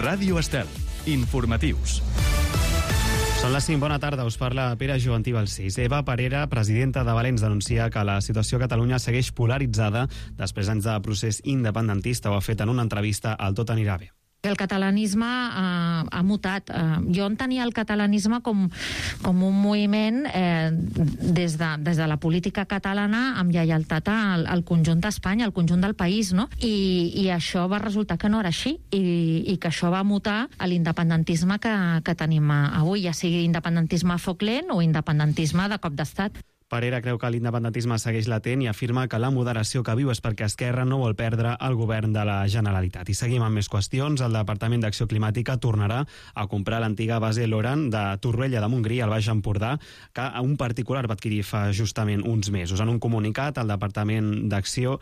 Ràdio Estel. Informatius. Són les 5, bona tarda, us parla Pere Joventí Balcells. Eva Parera, presidenta de Valens, denuncia que la situació a Catalunya segueix polaritzada després d'anys de procés independentista. Ho ha fet en una entrevista al Tot anirà bé. El catalanisme ha mutat. Jo entenia el catalanisme com un moviment des de la política catalana amb lleialtat al conjunt d'Espanya, al conjunt del país, no? I això va resultar que no era així i que això va mutar a l'independentisme que tenim avui, ja sigui independentisme a foc lent o independentisme de cop d'estat. Parera creu que l'independentisme segueix latent i afirma que la moderació que viu és perquè Esquerra no vol perdre el govern de la Generalitat. I seguim amb més qüestions. El Departament d'Acció Climàtica tornarà a comprar l'antiga base Loran de Torroella de Montgrí, al Baix Empordà, que un particular va adquirir fa justament uns mesos. En un comunicat, el Departament d'Acció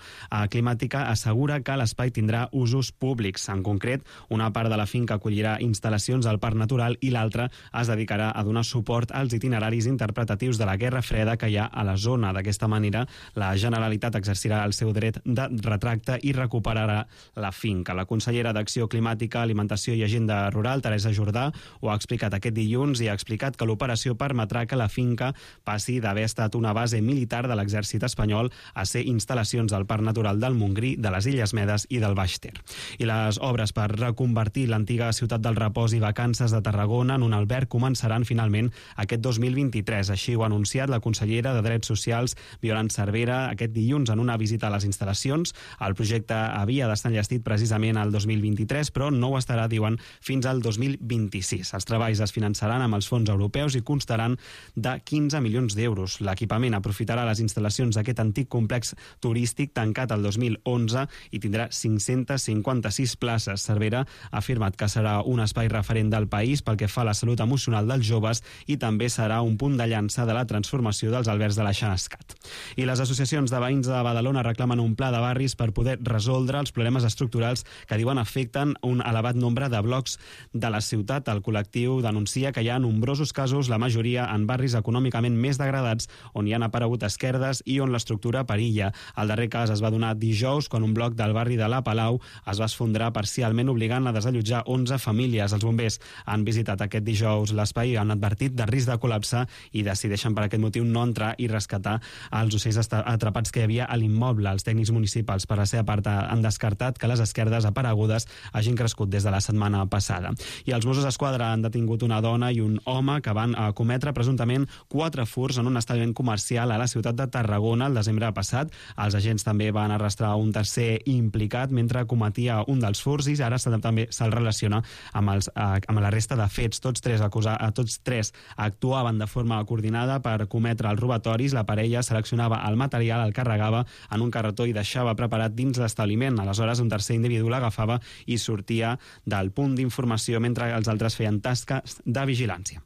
Climàtica assegura que l'espai tindrà usos públics. En concret, una part de la finca acollirà instal·lacions al Parc Natural i l'altra es dedicarà a donar suport als itineraris interpretatius de la Guerra Freda que hi ha a la zona. D'aquesta manera, la Generalitat exercirà el seu dret de retracte i recuperarà la finca. La consellera d'Acció Climàtica, Alimentació i Agenda Rural, Teresa Jordà, ho ha explicat aquest dilluns i ha explicat que l'operació permetrà que la finca passi d'haver estat una base militar de l'exèrcit espanyol a ser instal·lacions al Parc Natural del Montgrí, de les Illes Medes i del Baix Ter. I les obres per reconvertir l'antiga ciutat del repòs i vacances de Tarragona en un alberg començaran finalment aquest 2023. Així ho ha anunciat la consellera de Drets Socials, Violant Cervera, aquest dilluns en una visita a les instal·lacions. El projecte havia d'estar enllestit precisament al 2023, però no ho estarà, diuen, fins al 2026. Els treballs es finançaran amb els fons europeus i constaran de 15 milions d'euros. L'equipament aprofitarà les instal·lacions d'aquest antic complex turístic tancat el 2011 i tindrà 556 places. Cervera ha afirmat que serà un espai referent del país pel que fa a la salut emocional dels joves i també serà un punt de llança de la transformació dels albergs de la Xanascat. I les associacions de veïns de Badalona reclamen un pla de barris per poder resoldre els problemes estructurals que diuen afecten un elevat nombre de blocs de la ciutat. El col·lectiu denuncia que hi ha nombrosos casos, la majoria en barris econòmicament més degradats, on hi han aparegut esquerdes i on l'estructura perilla. El darrer cas es va donar dijous, quan un bloc del barri de la Palau es va esfondrar parcialment, obligant a desallotjar 11 famílies. Els bombers han visitat aquest dijous l'espai i han advertit de risc de col·lapse i decideixen per aquest motiu no entrar i rescatar els ocells atrapats que hi havia a l'immoble. Els tècnics municipals, per la seva part, han descartat que les esquerdes aparegudes hagin crescut des de la setmana passada. I els Mossos d'Esquadra han detingut una dona i un home que van cometre presumptament 4 furts en un establiment comercial a la ciutat de Tarragona el desembre passat. Els agents també van arrestar un tercer implicat mentre cometia un dels furts i ara també se'l relaciona amb la resta de fets. Tots tres actuaven de forma coordinada per cometre els robatoris. La parella seleccionava el material, el carregava en un carretó i deixava preparat dins l'establiment. Aleshores, un tercer individu l'agafava i sortia del punt d'informació mentre els altres feien tasques de vigilància.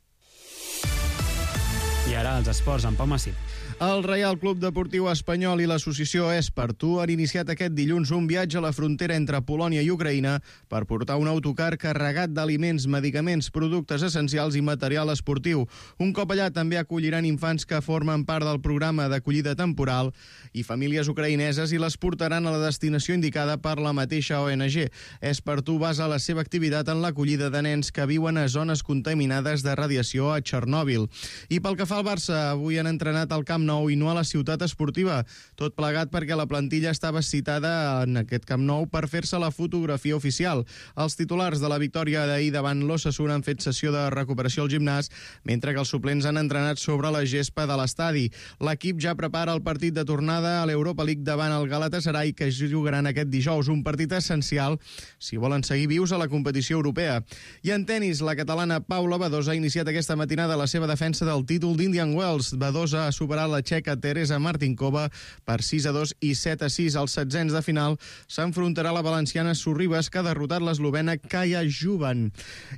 I ara els esports, en Pau Massip. El Reial Club Deportiu Espanyol i l'associació És per Tu han iniciat aquest dilluns un viatge a la frontera entre Polònia i Ucraïna per portar un autocar carregat d'aliments, medicaments, productes essencials i material esportiu. Un cop allà també acolliran infants que formen part del programa d'acollida temporal i famílies ucraïneses i les portaran a la destinació indicada per la mateixa ONG. És per Tu basa la seva activitat en l'acollida de nens que viuen a zones contaminades de radiació a Txernòbil. I pel que fa al Barça, avui han entrenat al Camp Nou i no a la ciutat esportiva. Tot plegat perquè la plantilla estava citada en aquest Camp Nou per fer-se la fotografia oficial. Els titulars de la victòria d'ahir davant l'Osasuna han fet sessió de recuperació al gimnàs, mentre que els suplents han entrenat sobre la gespa de l'estadi. L'equip ja prepara el partit de tornada a l'Europa League davant el Galatasaray, que es jugaran aquest dijous, un partit essencial si volen seguir vius a la competició europea. I en tenis, la catalana Paula Badosa ha iniciat aquesta matinada la seva defensa del títol d'Indian Wells. Badosa ha superat la txeca Teresa Martinkova per 6-2 i 7-6. Als setzents de final s'enfrontarà la valenciana Sorribas, que ha derrotat l'eslovena Kaja Juvan.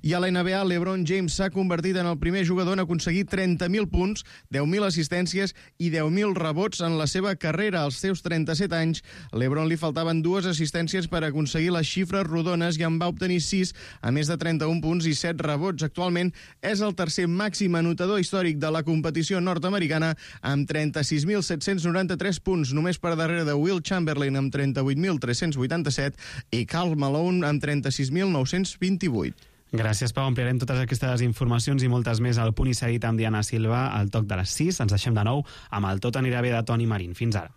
I a la NBA, LeBron James s'ha convertit en el primer jugador en aconseguir 30.000 punts, 10.000 assistències i 10.000 rebots en la seva carrera. Als seus 37 anys, LeBron li faltaven 2 assistències per aconseguir les xifres rodones i en va obtenir 6, a més de 31 punts i 7 rebots. Actualment és el tercer màxim anotador històric de la competició nord-americana, amb amb 36.793 punts, només per darrere de Will Chamberlain amb 38.387 i Karl Malone amb 36.928. Gràcies, Pau. Ampliarem totes aquestes informacions i moltes més al Punt i Seguit amb Diana Silva al toc de les 6. Ens deixem de nou amb el Tot anirà bé de Toni Marín. Fins ara.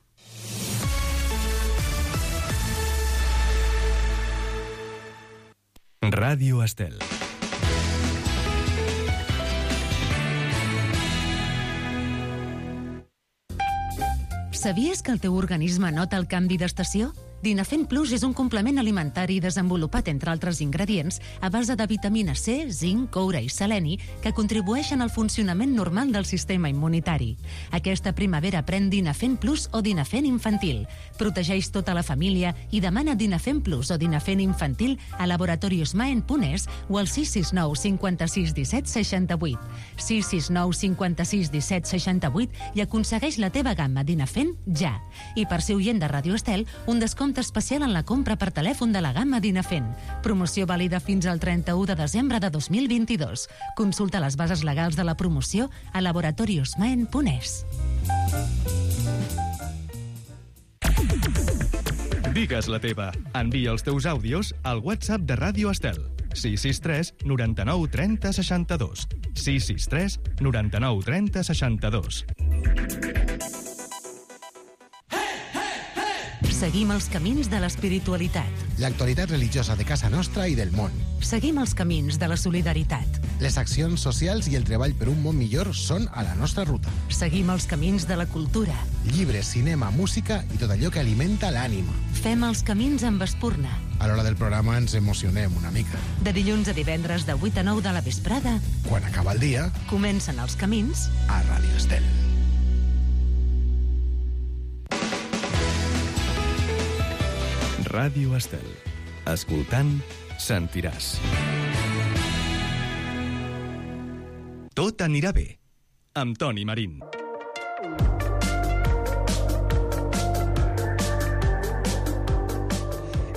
Ràdio Estel. Sabies que el teu organisme nota el canvi d'estació? Dinafent Plus és un complement alimentari desenvolupat, entre altres ingredients, a base de vitamina C, zinc, coure i seleni, que contribueixen al funcionament normal del sistema immunitari. Aquesta primavera pren Dinafent Plus o Dinafent Infantil. Protegeix tota la família i demana Dinafent Plus o Dinafent Infantil a laboratoriosmaen.es o al 669 56 17 68. 669 56 17 68 i aconsegueix la teva gamma Dinafent ja. I per ser oient de Ràdio Estel, un descompte especial en la compra per telèfon de la gamma Dinafent. Promoció vàlida fins al 31 de desembre de 2022. Consulta les bases legals de la promoció a laboratoriosmaen.es. Digues la teva. Envia els teus àudios al WhatsApp de Ràdio Estel. 663 99 30 62. 663 99 30 62. Seguim els camins de l'espiritualitat. L'actualitat religiosa de casa nostra i del món. Seguim els camins de la solidaritat. Les accions socials i el treball per un món millor són a la nostra ruta. Seguim els camins de la cultura. Llibres, cinema, música i tot allò que alimenta l'ànima. Fem els camins amb Espurna. A l'hora del programa ens emocionem una mica. De dilluns a divendres de 8 a 9 de la vesprada, Quan acaba el dia, comencen els camins a Ràdio Estel. Ràdio Estel. Escoltant, sentiràs. Tot anirà bé. Amb Toni Marín.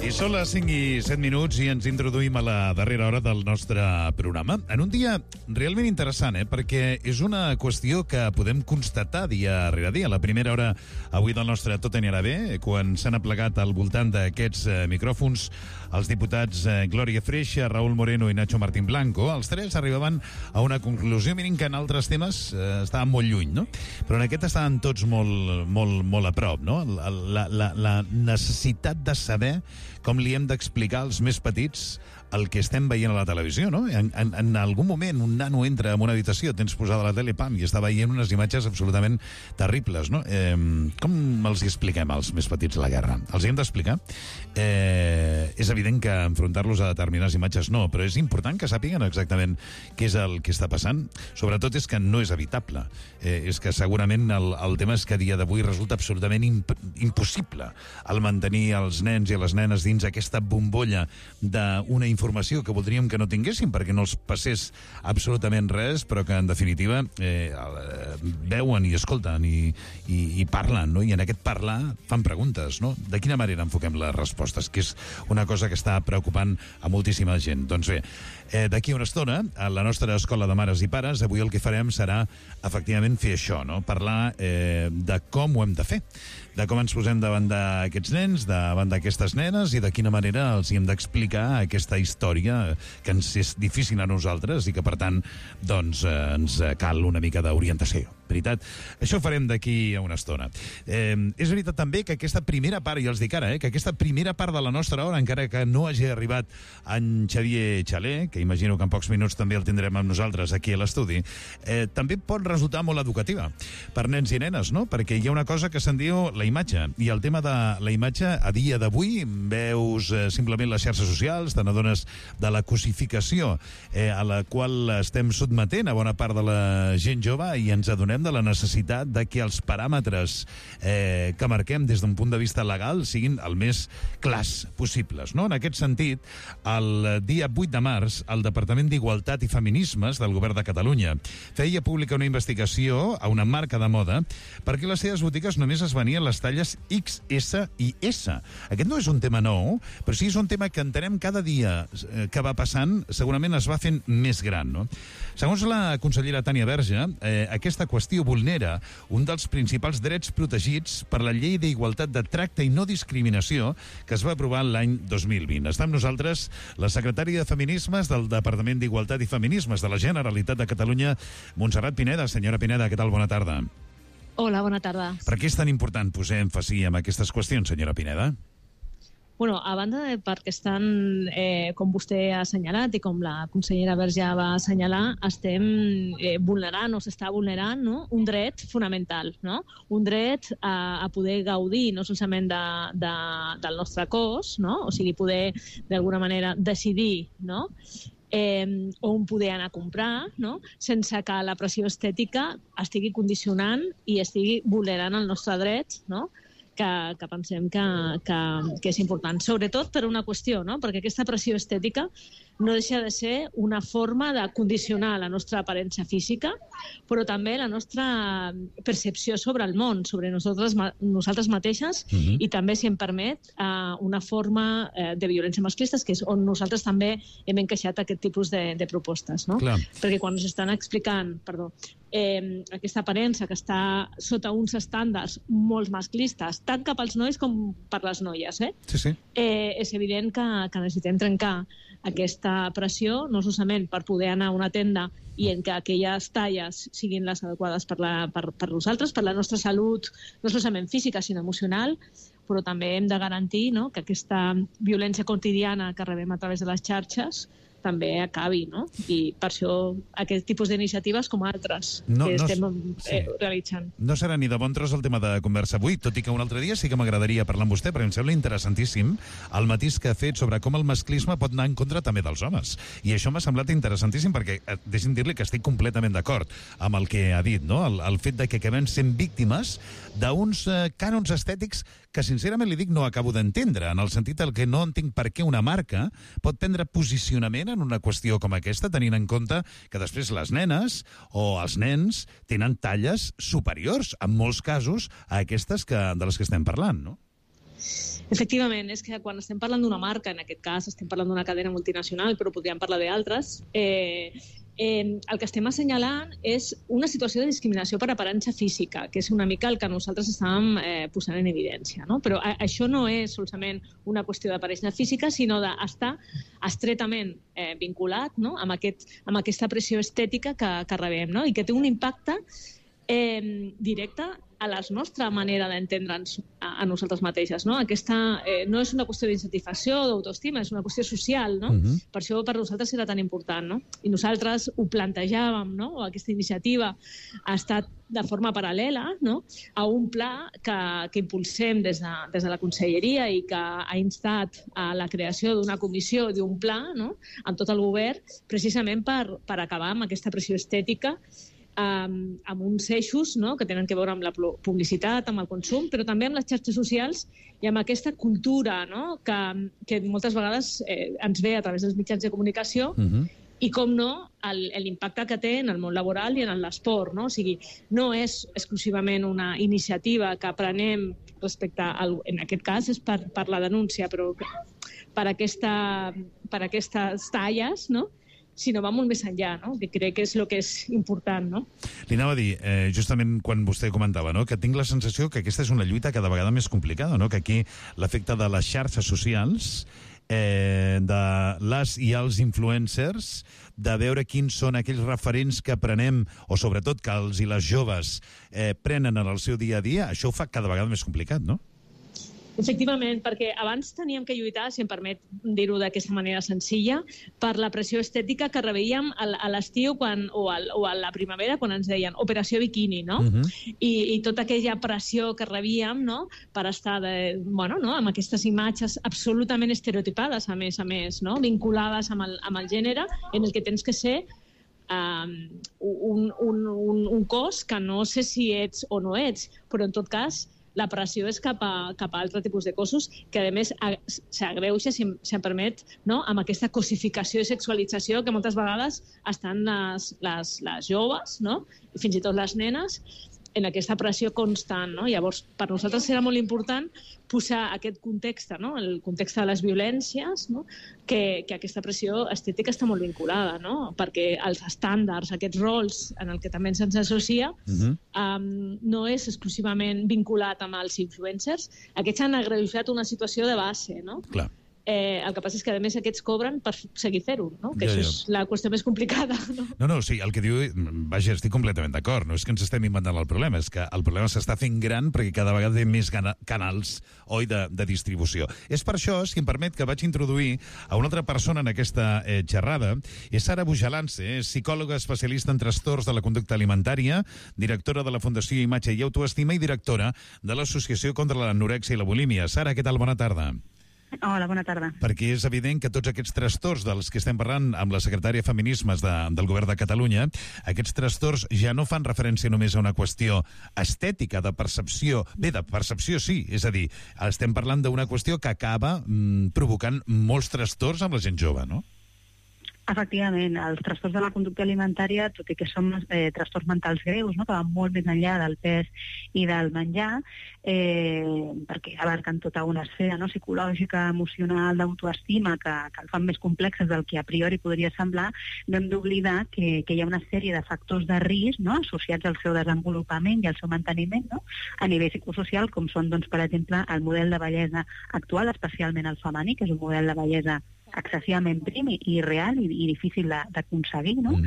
I són les 5 i 7 minuts i ens introduïm a la darrera hora del nostre programa. En un dia realment interessant, perquè és una qüestió que podem constatar dia rere dia. La primera hora avui del nostre Tot anirà bé, quan s'han aplegat al voltant d'aquests micròfons els diputats Glòria Freixa, Raúl Moreno i Nacho Martín Blanco. Els tres arribaven a una conclusió, mirin que en altres temes estaven molt lluny, no? Però en aquest estaven tots molt a prop, no? La necessitat de saber com li hem d'explicar als més petits el que estem veient a la televisió, no? En algun moment un nano entra en una habitació, tens posada la tele, pam, i està veient unes imatges absolutament terribles, no? Com els hi expliquem als més petits la guerra? Els hi hem d'explicar? És evident que enfrontar-los a determinades imatges no, però és important que sàpiguen exactament què és el que està passant. Sobretot és que no és evitable. És que segurament el tema és que a dia d'avui resulta absolutament impossible el mantenir els nens i les nenes dins aquesta bombolla d'una informació que voldríem que no tinguéssim perquè no els passés absolutament res, però que en definitiva veuen i escolten i parlen, no? I en aquest parlar fan preguntes, no? De quina manera enfoquem les respostes, que és una cosa que està preocupant a moltíssima gent. Doncs bé, d'aquí a una estona, a la nostra escola de mares i pares, avui el que farem serà efectivament fer això, no? Parlar de com ho hem de fer, de com ens posem davant d'aquests nens, davant d'aquestes nenes i de quina manera els hi hem d'explicar aquesta història que ens és difícil a nosaltres i que, per tant, doncs, ens cal una mica d'orientació. Veritat? Això ho farem d'aquí a una estona. És veritat també que aquesta primera part, i els dic ara, que aquesta primera part de la nostra hora, encara que no hagi arribat en Xavier Xaler, que imagino que en pocs minuts també el tindrem amb nosaltres aquí a l'estudi, també pot resultar molt educativa per nens i nenes, no? Perquè hi ha una cosa que se'n diu la imatge, i el tema de la imatge a dia d'avui veus simplement les xarxes socials, te n'adones de la cosificació a la qual estem sotmetent a bona part de la gent jove i ens adonem de la necessitat de que els paràmetres que marquem des d'un punt de vista legal siguin el més clars possibles, no? En aquest sentit, el dia 8 de març, el Departament d'Igualtat i Feminismes del Govern de Catalunya feia pública una investigació a una marca de moda perquè les seves botigues només es venien les talles XS i S. Aquest no és un tema nou, però sí és un tema que entenem cada dia que va passant, segurament es va fent més gran, no? Segons la consellera Tània Verge, aquesta qüestió qüestió vulnera un dels principals drets protegits per la Llei d'Igualtat de Tracte i No Discriminació que es va aprovar l'any 2020. Està amb nosaltres la secretària de Feminismes del Departament d'Igualtat i Feminismes de la Generalitat de Catalunya, Montserrat Pineda. Senyora Pineda, què tal? Bona tarda. Hola, bona tarda. Per què és tan important posar èmfasi en aquestes qüestions, senyora Pineda? Bueno, a banda de perquè estan, com vostè ha assenyalat i com la consellera Verge va assenyalar, estem vulnerant o s'està vulnerant, no? Un dret fonamental, no? Un dret a poder gaudir no solament del nostre cos, no? O sigui, poder d'alguna manera decidir, no? On poder anar a comprar, no? Sense que la pressió estètica estigui condicionant i estigui vulnerant el nostre dret, no? Que pensem que és important. Sobretot per una qüestió, no? Perquè aquesta pressió estètica no deixa de ser una forma de condicionar la nostra aparença física, però també la nostra percepció sobre el món, sobre nosaltres mateixes, i també, si em permet, una forma de violència masclista, que és on nosaltres també hem encaixat aquest tipus de propostes, no? Clar. Perquè quan ens estan explicant, aquesta aparença que està sota uns estàndards molt masclistes, tant cap als nois com per les noies, Sí. És evident que necessitem trencar aquesta pressió, no solament per poder anar a una tenda i en que aquelles talles siguin les adequades per nosaltres, per la nostra salut, no solament física, sinó emocional, però també hem de garantir, no?, que aquesta violència quotidiana que rebem a través de les xarxes també acabi, no? I per això aquest tipus d'iniciatives com altres que estem realitzant. No serà ni de bon tros el tema de conversa avui, tot i que un altre dia sí que m'agradaria parlar amb vostè, perquè em sembla interessantíssim el matís que ha fet sobre com el masclisme pot anar en contra també dels homes. I això m'ha semblat interessantíssim perquè, deixi'm dir-li que estic completament d'acord amb el que ha dit, no? El fet de que acabem sent víctimes d'uns cànons estètics que, sincerament, li dic, no acabo d'entendre, en el sentit que no entenc per què una marca pot prendre posicionament en una qüestió com aquesta, tenint en compte que després les nenes o els nens tenen talles superiors, en molts casos, a aquestes de les que estem parlant, no? Efectivament, és que quan estem parlant d'una marca, en aquest cas estem parlant d'una cadena multinacional, però podríem parlar d'altres, el que estem assenyalant és una situació de discriminació per aparença física, que és una mica el que nosaltres estàvem posant en evidència, no? Però això no és solament una qüestió d'aparença física, sinó d'estar estretament vinculat, no?, amb aquesta pressió estètica que rebem, no?, i que té un impacte directe a la nostra manera d'entendre'ns a nosaltres mateixes, no? Aquesta no és una qüestió d'insatisfacció o d'autoestima, és una qüestió social, no? Per això per nosaltres era tan important, no? I nosaltres ho plantejàvem, no? O aquesta iniciativa ha estat de forma paral·lela, no?, a un pla que impulsem des de la Conselleria i que ha instat a la creació d'una comissió, d'un pla, no?, amb tot el govern, precisament per acabar amb aquesta pressió estètica, amb uns eixos, no?, que tenen a veure amb la publicitat, amb el consum, però també amb les xarxes socials i amb aquesta cultura, no?, que moltes vegades ens ve a través dels mitjans de comunicació i, com no, l'impacte que té en el món laboral i en l'esport, no? O sigui, no és exclusivament una iniciativa que prenem respecte en aquest cas és per la denúncia, però per aquestes talles, no?, sinó va molt més enllà, no?, que crec que és el que és important, no? Li anava a dir, justament quan vostè comentava, no?, que tinc la sensació que aquesta és una lluita cada vegada més complicada, no?, que aquí l'efecte de les xarxes socials, de les i els influencers, de veure quins són aquells referents que prenem, o sobretot que els i les joves prenen en el seu dia a dia, això ho fa cada vegada més complicat, no? Efectivament, perquè abans teníem que lluitar, si em permet dir-ho d'aquesta manera senzilla, per la pressió estètica que rebíem a l'estiu o a la primavera, quan ens deien operació biquini, no? I tota aquella pressió que rebíem, no?, per estar amb aquestes imatges absolutament estereotipades, a més, no?, vinculades amb el gènere, en el que tens que ser un cos que no sé si ets o no ets, però en tot cas la pressió és cap a altre tipus de cossos que, a més, s'agreuja, si em permet, no?, amb aquesta cosificació i sexualització que moltes vegades estan les joves, no?, i fins i tot les nenes, en aquesta pressió constant, no? Llavors, per nosaltres serà molt important posar aquest context, no? El context de les violències, no? Que aquesta pressió estètica està molt vinculada, no? Perquè els estàndards, aquests rols en el que també se'ns associa, no és exclusivament vinculat amb els influencers. Aquests han agreujat una situació de base, no? Clar. El que passa és que, a més, aquests cobren per seguir fer-ho, no? Que això és la qüestió més complicada, no? No, sí, el que diu... Vaja, estic completament d'acord. No és que ens estem inventant el problema, és que el problema s'està fent gran perquè cada vegada hi ha més canals, oi, de distribució. És per això, si em permet, que vaig introduir a una altra persona en aquesta xerrada. És Sara Bujalance, és psicòloga especialista en trastorns de la conducta alimentària, directora de la Fundació Imatge i Autoestima i directora de l'Associació contra l'Anorèxia i la Bulímia. Sara, què tal? Bona tarda. Hola, bona tarda. Perquè és evident que tots aquests trastorns dels que estem parlant amb la secretària de Feminismes del Govern de Catalunya, aquests trastorns ja no fan referència només a una qüestió estètica, de percepció. Bé, de percepció sí, és a dir, estem parlant d'una qüestió que acaba provocant molts trastorns amb la gent jove, no? Efectivament, els trastorns de la conducta alimentària, tot i que són trastorns mentals greus, no? Que van molt més enllà del pes i del menjar, perquè abarquen tota una esfera, no? Psicològica, emocional, d'autoestima, que el fan més complexes del que a priori podria semblar, no hem d'oblidar que hi ha una sèrie de factors de risc, no? Associats al seu desenvolupament i al seu manteniment, no? A nivell psicosocial, com són, doncs, per exemple, el model de bellesa actual, especialment el femení, que és un model de bellesa excessivament prim i real i difícil d'aconseguir, no?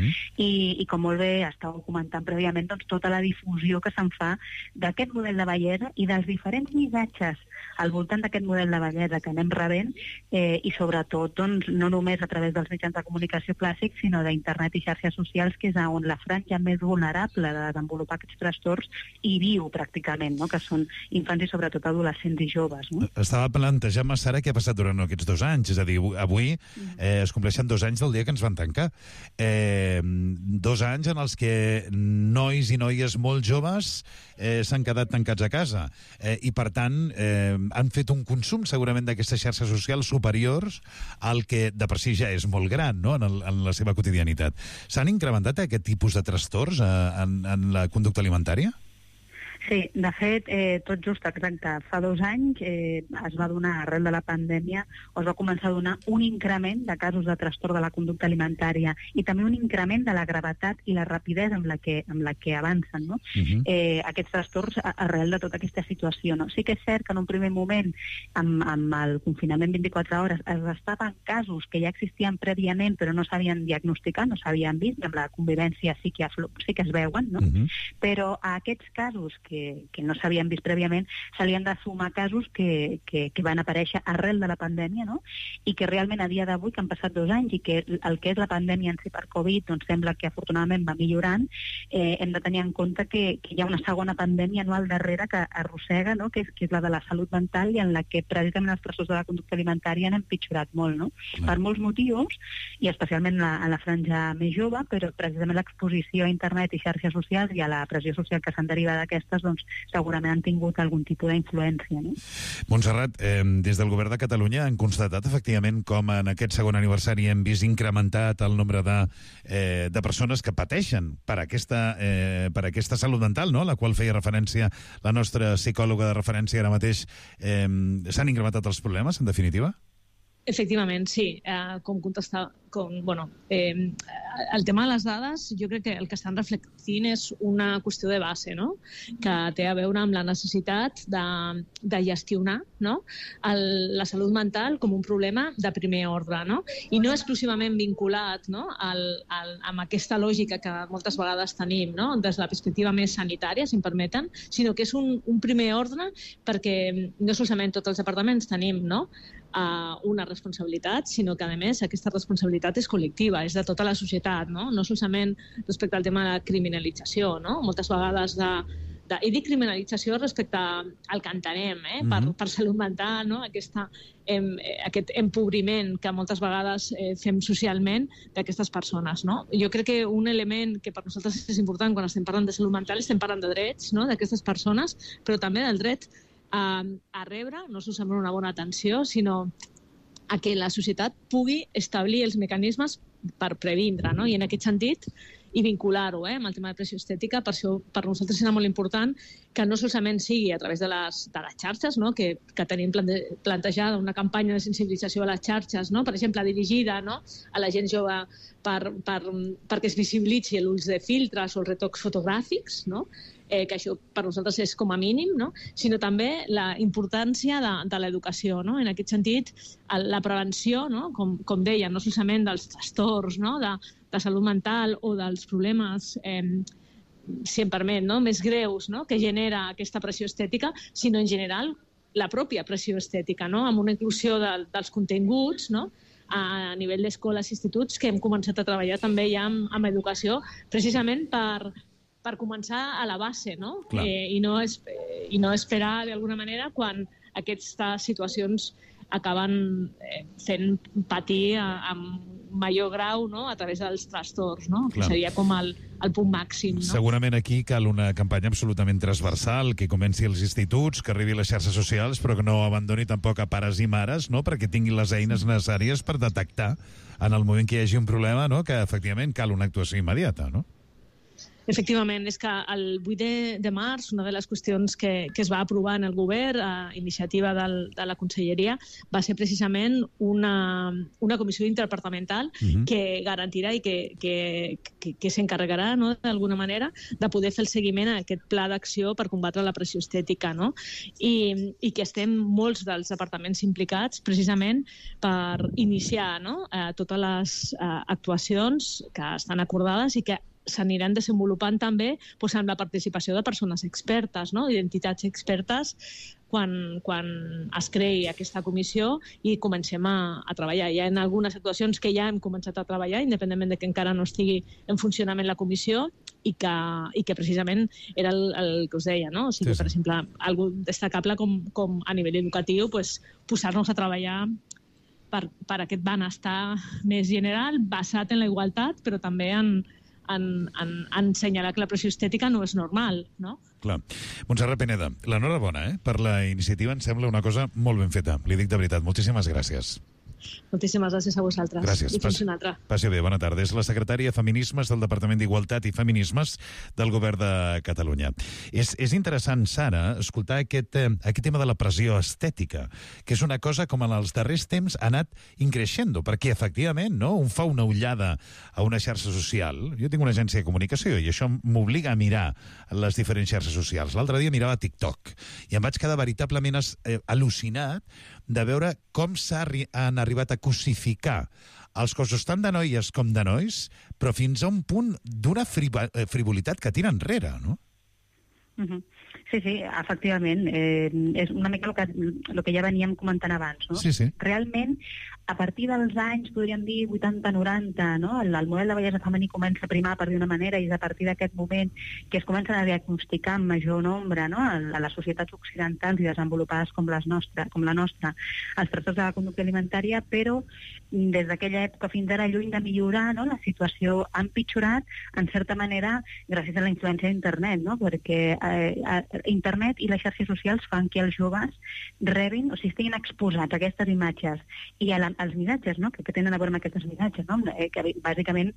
I com molt bé estàveu comentant prèviament, doncs tota la difusió que se'n fa d'aquest model de bellesa i dels diferents missatges al voltant d'aquest model de bellesa que anem rebent i sobretot, doncs, no només a través dels mitjans de comunicació clàssics, sinó d'internet i xarxes socials, que és on la franja més vulnerable de desenvolupar aquests trastorns hi viu pràcticament, no? Que són infants i sobretot adolescents i joves, no? Estava plantejant-me, Sara, què ha passat durant aquests 2 anys, és a dir, avui es compleixen 2 anys del dia que ens van tancar. 2 anys en els que nois i noies molt joves s'han quedat tancats a casa i, per tant, han fet un consum segurament d'aquestes xarxes socials superiors al que de per si ja és molt gran, no? en la seva quotidianitat. S'han incrementat aquest tipus de trastorns en la conducta alimentària? Sí, de fet, tot just exacte. Fa 2 anys es va donar, arrel de la pandèmia, o es va començar a donar un increment de casos de trastorn de la conducta alimentària i també un increment de la gravetat i la rapidesa amb la que avancen, no? Aquests trastorns arrel de tota aquesta situació, no? Sí que és cert que en un primer moment, amb el confinament 24 hores, es restaven casos que ja existien prèviament però no s'havien diagnosticat, no s'havien vist, i amb la convivència sí que es veuen, no? Però a aquests casos que no s'havien vist prèviament, se li han de sumar casos que van aparèixer arrel de la pandèmia, no? I que realment a dia d'avui, que han passat 2 anys i que el que és la pandèmia en si per Covid, doncs sembla que afortunadament va millorant, hem de tenir en compte que hi ha una segona pandèmia anual darrere que arrossega, no? Que és la de la salut mental i en la que precisament els trastorns de la conducta alimentària han empitjorat molt, no? Per molts motius, i especialment a la franja més jove, però precisament l'exposició a internet i xarxes socials i a la pressió social que se'n deriva d'aquestes, doncs segurament han tingut algun tipus d'influència, no? Montserrat, des del Govern de Catalunya han constatat efectivament com en aquest segon aniversari hem vist incrementat el nombre de persones que pateixen per aquesta salut mental, no? A la qual feia referència la nostra psicòloga de referència ara mateix. S'han incrementat els problemes, en definitiva? Efectivament, sí. Com contestar... el tema de les dades, jo crec que el que estan reflectint és una qüestió de base, no? Que té a veure amb la necessitat de gestionar, no? La salut mental com un problema de primer ordre, no? I no exclusivament vinculat, no? Amb aquesta lògica que moltes vegades tenim, no? Des de la perspectiva més sanitària, si em permeten, sinó que és un primer ordre perquè no solament tots els departaments tenim, no? Una responsabilitat, sinó que, a més, aquesta responsabilitat és col·lectiva, és de tota la societat, no? No solament respecte al tema de la criminalització, no? Moltes vegades i dic criminalització respecte al que entenem, per salut mental, no? Aquest empobriment que moltes vegades fem socialment d'aquestes persones, no? Jo crec que un element que per nosaltres és important quan estem parlant de salut mental, estem parlant de drets, no? D'aquestes persones, però també del dret a rebre, no solament una bona atenció, sinó a que la societat pugui establir els mecanismes per previndre, no? I en aquest sentit, i vincular-ho amb el tema de pressió estètica. Per això per nosaltres serà molt important que no solament sigui a través de les xarxes, no? que tenim plantejada una campanya de sensibilització a les xarxes, no? Per exemple, dirigida, no? a la gent jove perquè es visibilitzi l'ús de filtres o els retocs fotogràfics, no? Que això per nosaltres és com a mínim, no? Sinó també la importància de l'educació. No? En aquest sentit, la prevenció, no? com deia, no solament dels trastorns, no? de salut mental o dels problemes si em permet, no? més greus, no? que genera aquesta pressió estètica, sinó en general la pròpia pressió estètica, no? amb una inclusió dels continguts, no? a nivell d'escoles i instituts, que hem començat a treballar també ja amb educació, precisament per començar a la base, no? I no esperar d'alguna manera quan aquestes situacions acaben fent patir amb major grau, no? a través dels trastorns, no? que seria com el punt màxim. No? Segurament aquí cal una campanya absolutament transversal, que comenci als instituts, que arribi a les xarxes socials, però que no abandoni tampoc a pares i mares, no? perquè tinguin les eines necessàries per detectar en el moment que hi hagi un problema, no? que efectivament cal una actuació immediata, no? Efectivament, és que el 8 de març una de les qüestions que es va aprovar en el govern a iniciativa de la Conselleria va ser precisament una comissió interdepartamental que garantirà i que s'encarregarà, no, d'alguna manera de poder fer el seguiment a aquest pla d'acció per combatre la pressió estètica, no? I que estem molts dels departaments implicats precisament per iniciar, no, totes les actuacions que estan acordades i que s'aniran desenvolupant també amb la participació de persones expertes, no? Identitats expertes, quan es creï aquesta comissió i comencem a treballar. Hi ha algunes actuacions que ja hem començat a treballar, independentment de que encara no estigui en funcionament la comissió, i que precisament era el que us deia, no? O sigui, per exemple, algo destacable com a nivell educatiu, posar-nos a treballar per aquest benestar més general, basat en la igualtat, però també en assenyalar que la pressió estètica no és normal, no? Clar. Montserrat Pineda, l'enhorabona per la iniciativa, em sembla una cosa molt ben feta. Li dic de veritat, moltíssimes gràcies. Moltíssimes gràcies a vosaltres. Gràcies. I fins una altra. Passi bé, bona tarda. És la secretària de Feminismes del Departament d'Igualtat i Feminismes del Govern de Catalunya. És interessant, Sara, escoltar aquest tema de la pressió estètica, que és una cosa com en els darrers temps ha anat increixendo, perquè efectivament, no, un fa una ullada a una xarxa social. Jo tinc una agència de comunicació i això m'obliga a mirar les diferents xarxes socials. L'altre dia mirava TikTok i em vaig quedar veritablement al·lucinat de veure com han arribat a cosificar els cossos tant de noies com de nois, però fins a un punt d'una frivolitat que tira enrere, no? Sí, efectivament. És una mica el que ja veníem comentant abans, no? Sí. Realment, a partir dels anys, podríem dir 80-90, no? El model de bellesa femení comença a primar, per dir una manera, i és a partir d'aquest moment que es comencen a diagnosticar en major nombre, no? A les societats occidentals i desenvolupades com la nostra, els trastorns de la conducta alimentària, però des d'aquella època fins ara, lluny de millorar, no? La situació ha empitjorat, en certa manera, gràcies a la influència d'internet, no? Perquè internet i les xarxes socials fan que els joves rebin, o sigui, estiguin exposats a aquestes imatges i als missatges, no? que tenen a veure amb aquestes missatges, no? Que bàsicament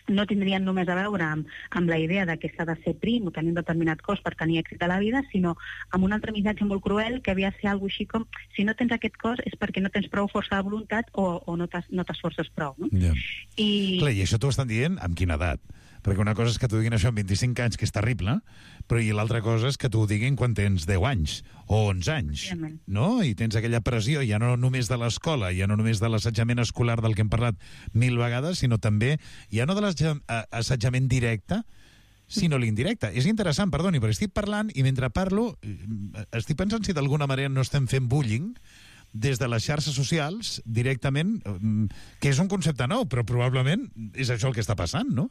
no tindrien només a veure amb la idea de que s'ha de ser prim o tenir un determinat cos per tenir èxit a la vida, sinó amb un altre missatge molt cruel que havia de ser alguna així com si no tens aquest cos és perquè no tens prou força de voluntat o no t'esforces prou. No? Yeah. Clar, i això t'ho estan dient amb quina edat? Perquè una cosa és que t'ho diguin això amb 25 anys, que és terrible, però i l'altra cosa és que t'ho diguin quan tens 10 anys o 11 anys, no? I tens aquella pressió, ja no només de l'escola, ja no només de l'assetjament escolar del que hem parlat 1000 vegades, sinó també, ja no de l'assetjament directe, sinó l'indirecte. És interessant, perdoni, però estic parlant i mentre parlo estic pensant si d'alguna manera no estem fent bullying des de les xarxes socials directament, que és un concepte nou, però probablement és això el que està passant, no?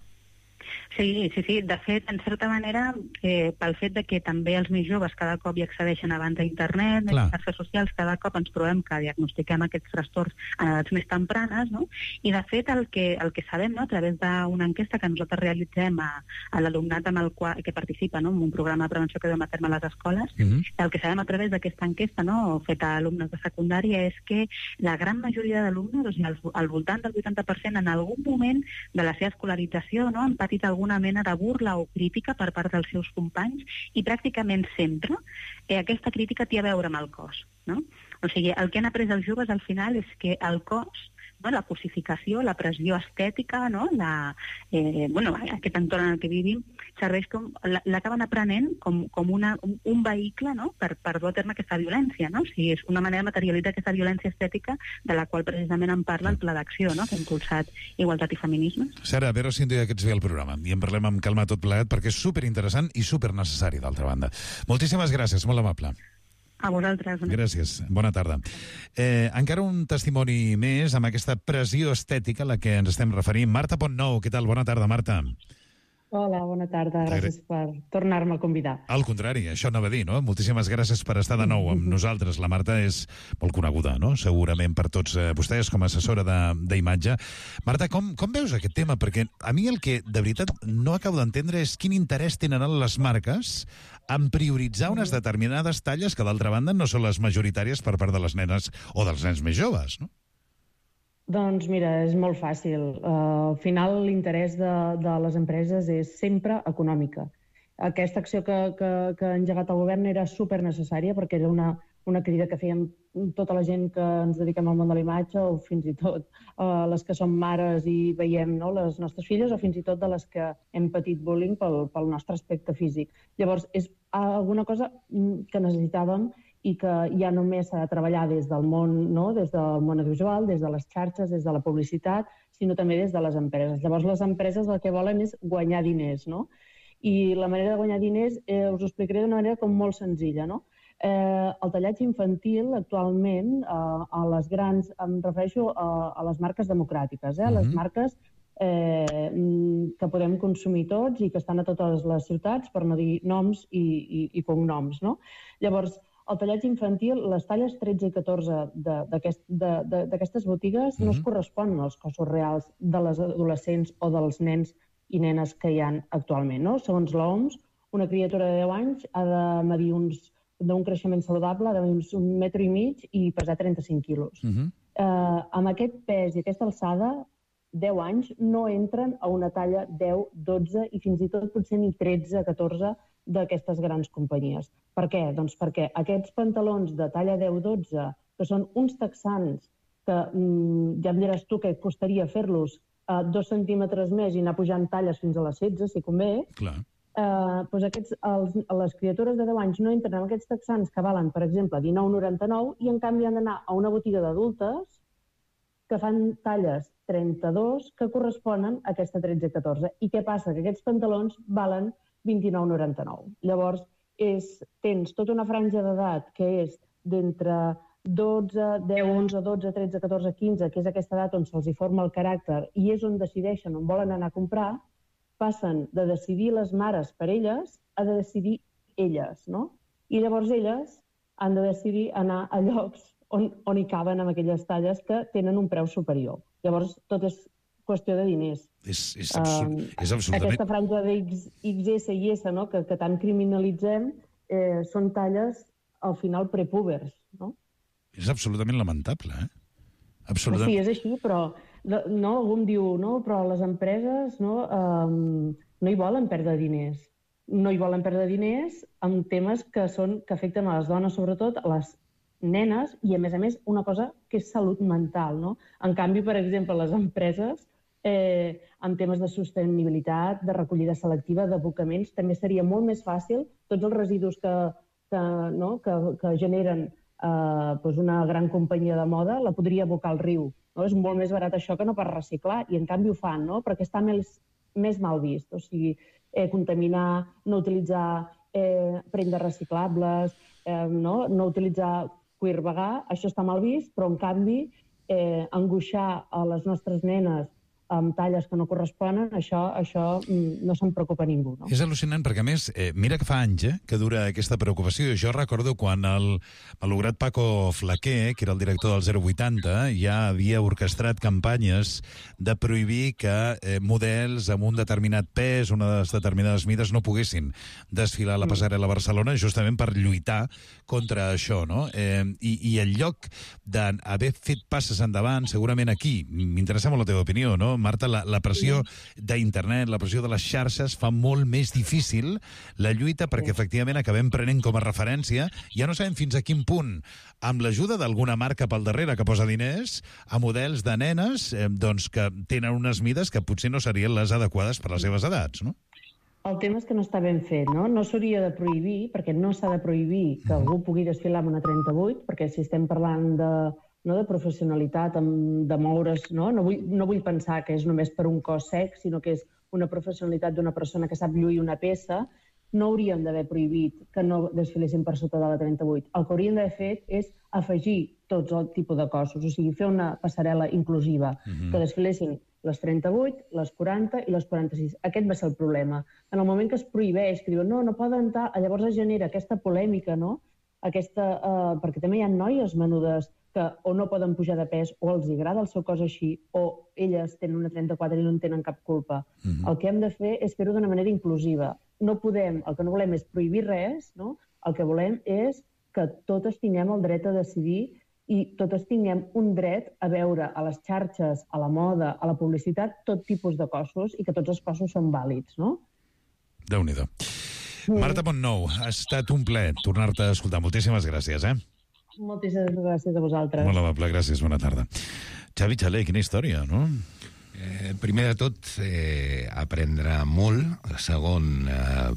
Sí. De fet, en certa manera, pel fet de que també els més joves cada cop hi accedeixen abans a internet, a les xarxes socials, cada cop ens trobem que diagnostiquem aquests trastorns en edats més tempranes, no? I de fet el que sabem, no? A través d'una enquesta que nosaltres realitzem a l'alumnat que participa, no? En un programa de prevenció que duem a terme a les escoles, el que sabem a través d'aquesta enquesta, no? Feta a alumnes de secundària, és que la gran majoria d'alumnes, o sigui, al voltant del 80%, en algun moment de la seva escolarització, no? Han patit algun alguna mena de burla o crítica per part dels seus companys, i pràcticament sempre aquesta crítica té a veure amb el cos, no? O sigui, el que han après els joves al final és que el cos, no, la cosificació, la pressió estètica, no, aquest entorn en el que vivim, serveix l'acaben aprenent com un vehicle, no, per dur a terme aquesta violència, no? O sigui, és una manera de materialitzar aquesta violència estètica de la qual precisament en parla el Pla d'Acció, no?, que ha impulsat Igualtat i Feminismes. Sara, a veure si un dia que ets bé al programa i en parlem amb calma tot plegat, perquè és superinteressant i supernecessari, d'altra banda. Moltíssimes gràcies, molt amable. A vosaltres. Gràcies, bona tarda. Encara un testimoni més amb aquesta pressió estètica a la que ens estem referint. Marta Pontnou, què tal? Bona tarda, Marta. Hola, bona tarda. Gràcies per tornar-me a convidar. Al contrari, això anava a dir, no? Moltíssimes gràcies per estar de nou amb nosaltres. La Marta és molt coneguda, no?, segurament per tots vostès com a assessora d'imatge. Marta, com veus aquest tema? Perquè a mi el que de veritat no acabo d'entendre és quin interès tenen les marques en prioritzar unes determinades talles que, d'altra banda, no són les majoritàries per part de les nenes o dels nens més joves, no? Doncs mira, és molt fàcil. Al final l'interès de les empreses és sempre econòmica. Aquesta acció que ha engegat el govern era supernecessària perquè era una crida que fèiem tota la gent que ens dediquem al món de la imatge o fins i tot les que som mares i veiem, no, les nostres filles o fins i tot de les que hem patit bullying pel nostre aspecte físic. Llavors, és alguna cosa que necessitàvem i que ja només s'ha de treballar des del món, no? Des del món audiovisual, des de les xarxes, des de la publicitat, sinó també des de les empreses. Llavors, les empreses el que volen és guanyar diners, no? I la manera de guanyar diners us ho explicaré d'una manera com molt senzilla, no? El tallatge infantil actualment a les grans, em refereixo a les marques democràtiques, les marques que podem consumir tots i que estan a totes les ciutats, per no dir noms i cognoms, no? Llavors, el tallatge infantil, les talles 13 i 14 d'aquestes botigues no es corresponen als cossos reals de les adolescents o dels nens i nenes que hi ha actualment, no? Segons l'OMS, una criatura de 10 anys ha de medir d'un creixement saludable, ha de medir 1,5 metres i pesar 35 quilos. Amb aquest pes i aquesta alçada, 10 anys no entren a una talla 10, 12 i fins i tot potser ni 13, 14 d'aquestes grans companyies. Per què? Doncs perquè aquests pantalons de talla 10-12, que són uns texans que ja em diràs tu què costaria fer-los 2 centímetres més i anar pujant talles fins a les 16, si convé, doncs les criatures de 10 anys no entren en aquests texans que valen, per exemple, 19,99 i en canvi han d'anar a una botiga d'adultes que fan talles 32 que corresponen a aquesta 13-14. I què passa? Que aquests pantalons valen 29,99. Llavors, tens tota una franja d'edat que és d'entre 12, 10, 11, 12, 13, 14, 15, que és aquesta edat on se'ls forma el caràcter i és on decideixen on volen anar a comprar, passen de decidir les mares per elles a de decidir elles, no? I llavors elles han de decidir anar a llocs on hi caben amb aquelles talles que tenen un preu superior. Llavors, tot és qüestió de diners. És absolutament... Aquesta franja de XS i S, no?, que tant criminalitzem, són talles, al final, prepúbers, no? És absolutament lamentable, Absolutament. Sí, és així, però algú em diu, no, però les empreses no hi volen perdre diners. No hi volen perdre diners amb temes que afecten a les dones, sobretot, a les nenes, i a més, una cosa que és salut mental, no? En canvi, per exemple, les empreses, en temes de sostenibilitat, de recollida selectiva, d'abocaments, també seria molt més fàcil tots els residus que generen una gran companyia de moda, la podria abocar al riu. És molt més barat això que no per reciclar, i en canvi ho fan, perquè està més mal vist. O sigui, contaminar, no utilitzar prendes reciclables, no utilitzar cuir vegà, això està mal vist, però en canvi angoixar a les nostres nenes amb talles que no corresponen, això no se'n preocupa ningú. No? És al·lucinant, perquè a més, mira que fa anys que dura aquesta preocupació. Jo recordo quan el malograt Paco Flaquer, que era el director del 080, ja havia orquestrat campanyes de prohibir que models amb un determinat pes, unes determinades mides, no poguessin desfilar a la passarel·la a Barcelona, justament per lluitar contra això, no? I en lloc d'haver fet passes endavant, segurament aquí, m'interessa molt la teva opinió, no? Marta? La pressió d'internet, la pressió de les xarxes fa molt més difícil la lluita perquè efectivament acabem prenent com a referència, ja no sabem fins a quin punt, amb l'ajuda d'alguna marca pel darrere que posa diners, a models de nenes doncs que tenen unes mides que potser no serien les adequades per les seves edats, no? El tema és que no està ben fet, no? No s'hauria de prohibir, perquè no s'ha de prohibir que algú pugui desfilar amb una 38, perquè si estem parlant de professionalitat, de moure's, no vull pensar que és només per un cos sec, sinó que és una professionalitat d'una persona que sap lluir una peça, no hauríem d'haver prohibit que no desfilessin per sota de la 38. El que hauríem d'haver fet és afegir tots el tipus de cossos, o sigui, fer una passarel·la inclusiva, que desfilessin les 38, les 40 i les 46. Aquest va ser el problema. En el moment que es prohibeix, que diuen no poden entrar, llavors es genera aquesta polèmica, no? Perquè també hi ha noies menudes que o no poden pujar de pes o els agrada el seu cos així o elles tenen una 34 i no en tenen cap culpa. El que hem de fer és fer-ho d'una manera inclusiva. El que no volem és prohibir res, no? El que volem és que totes tinguem el dret a decidir i totes tinguem un dret a veure a les xarxes, a la moda, a la publicitat, tot tipus de cossos i que tots els cossos són vàlids, no? Déu-n'hi-do. Marta Montnou, ha estat un plaer tornar-te a escoltar. Moltíssimes gràcies, Moltíssimes gràcies a vosaltres. Molt amable, gràcies, bona tarda. Xavi Xaler, quina història, no? Primer de tot, aprendre molt. Segon,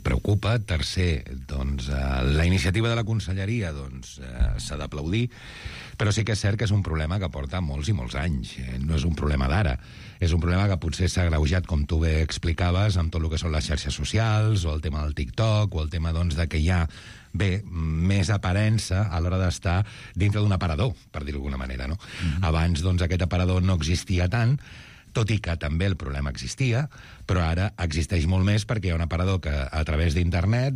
preocupa. Tercer, doncs, la iniciativa de la conselleria s'ha d'aplaudir, però sí que és cert que és un problema que porta molts i molts anys. No és un problema d'ara. És un problema que potser s'ha agreujat, com tu bé explicaves, amb tot el que són les xarxes socials, o el tema del TikTok, o el tema de que hi ha més aparença a l'hora d'estar dintre d'un aparador, per dir-ho d'alguna manera, no? Abans, aquest aparador no existia tant, tot i que també el problema existia, però ara existeix molt més perquè hi ha un aparador que a través d'internet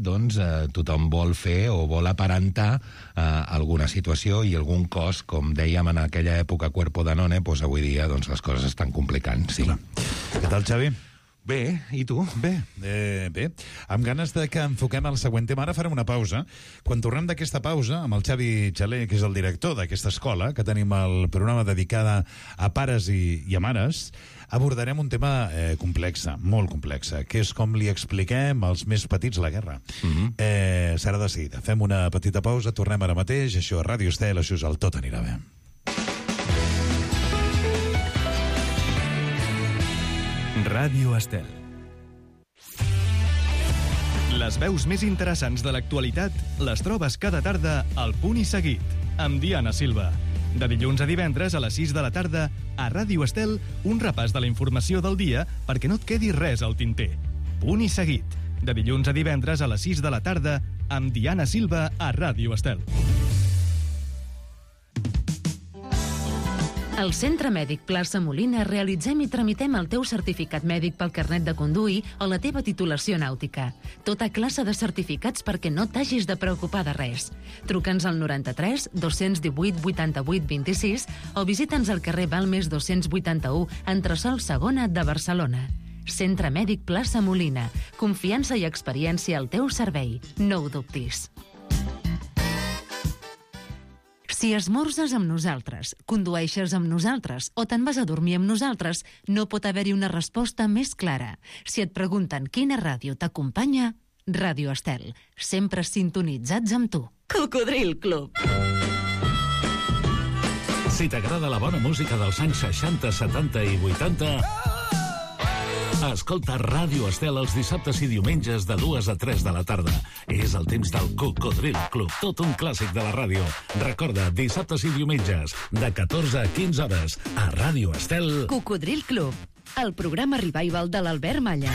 tothom vol fer o vol aparentar alguna situació i algun cos, com dèiem en aquella època Cuerpo Danone, avui dia les coses estan complicant. Sí. Què tal, Xavi? Bé, i tu? Bé. Amb ganes de que enfoquem el següent tema. Ara farem una pausa. Quan tornem d'aquesta pausa, amb el Xavi Xaler, que és el director d'aquesta escola, que tenim el programa dedicada a pares i a mares, abordarem un tema complex, molt complex, que és com li expliquem als més petits la guerra. Serà de seguida. Fem una petita pausa, tornem ara mateix. Això és Ràdio Estel, això és el Tot anirà bé. Ràdio Estel. Les veus més interessants de l'actualitat les trobes cada tarda al Punt i Seguit, amb Diana Silva. De dilluns a divendres a les 6 de la tarda, a Ràdio Estel, un repàs de la informació del dia perquè no et quedi res al tinter. Punt i Seguit. De dilluns a divendres a les 6 de la tarda, amb Diana Silva a Ràdio Estel. Al Centre Mèdic Plaça Molina realitzem i tramitem el teu certificat mèdic pel carnet de conduir o la teva titulació nàutica. Tota classe de certificats perquè no t'hagis de preocupar de res. Truca'ns al 93 218 88 26 o visita'ns al carrer Balmes 281, entresòl Segona de Barcelona. Centre Mèdic Plaça Molina. Confiança i experiència al teu servei. No ho dubtis. Si esmorzes amb nosaltres, condueixes amb nosaltres o te'n vas a dormir amb nosaltres, no pot haver-hi una resposta més clara. Si et pregunten quina ràdio t'acompanya, Ràdio Estel. Sempre sintonitzats amb tu. Cocodril Club. Si t'agrada la bona música dels anys 60, 70 i 80... escolta Ràdio Estel els dissabtes i diumenges de 2 a 3 de la tarda. És el temps del Cocodril Club, tot un clàssic de la ràdio. Recorda, dissabtes i diumenges, de 14 a 15 hores, a Ràdio Estel. Cocodril Club, el programa revival de l'Albert Malla.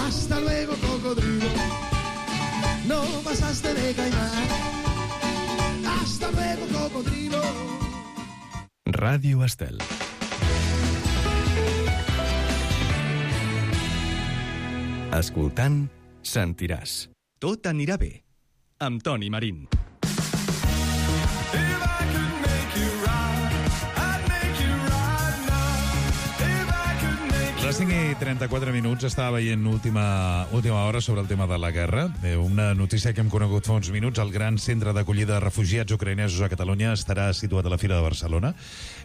Hasta luego, cocodrilo. No pasaste de caimán. Hasta luego, cocodrilo. Ràdio Estel. Escoltant, sentiràs. Tot anirà bé. Amb Toni Marín. Les 5:34, estava veient última hora sobre el tema de la guerra. Una notícia que hem conegut fa uns minuts: el gran centre d'acollida de refugiats ucraïnesos a Catalunya estarà situat a la Fira de Barcelona.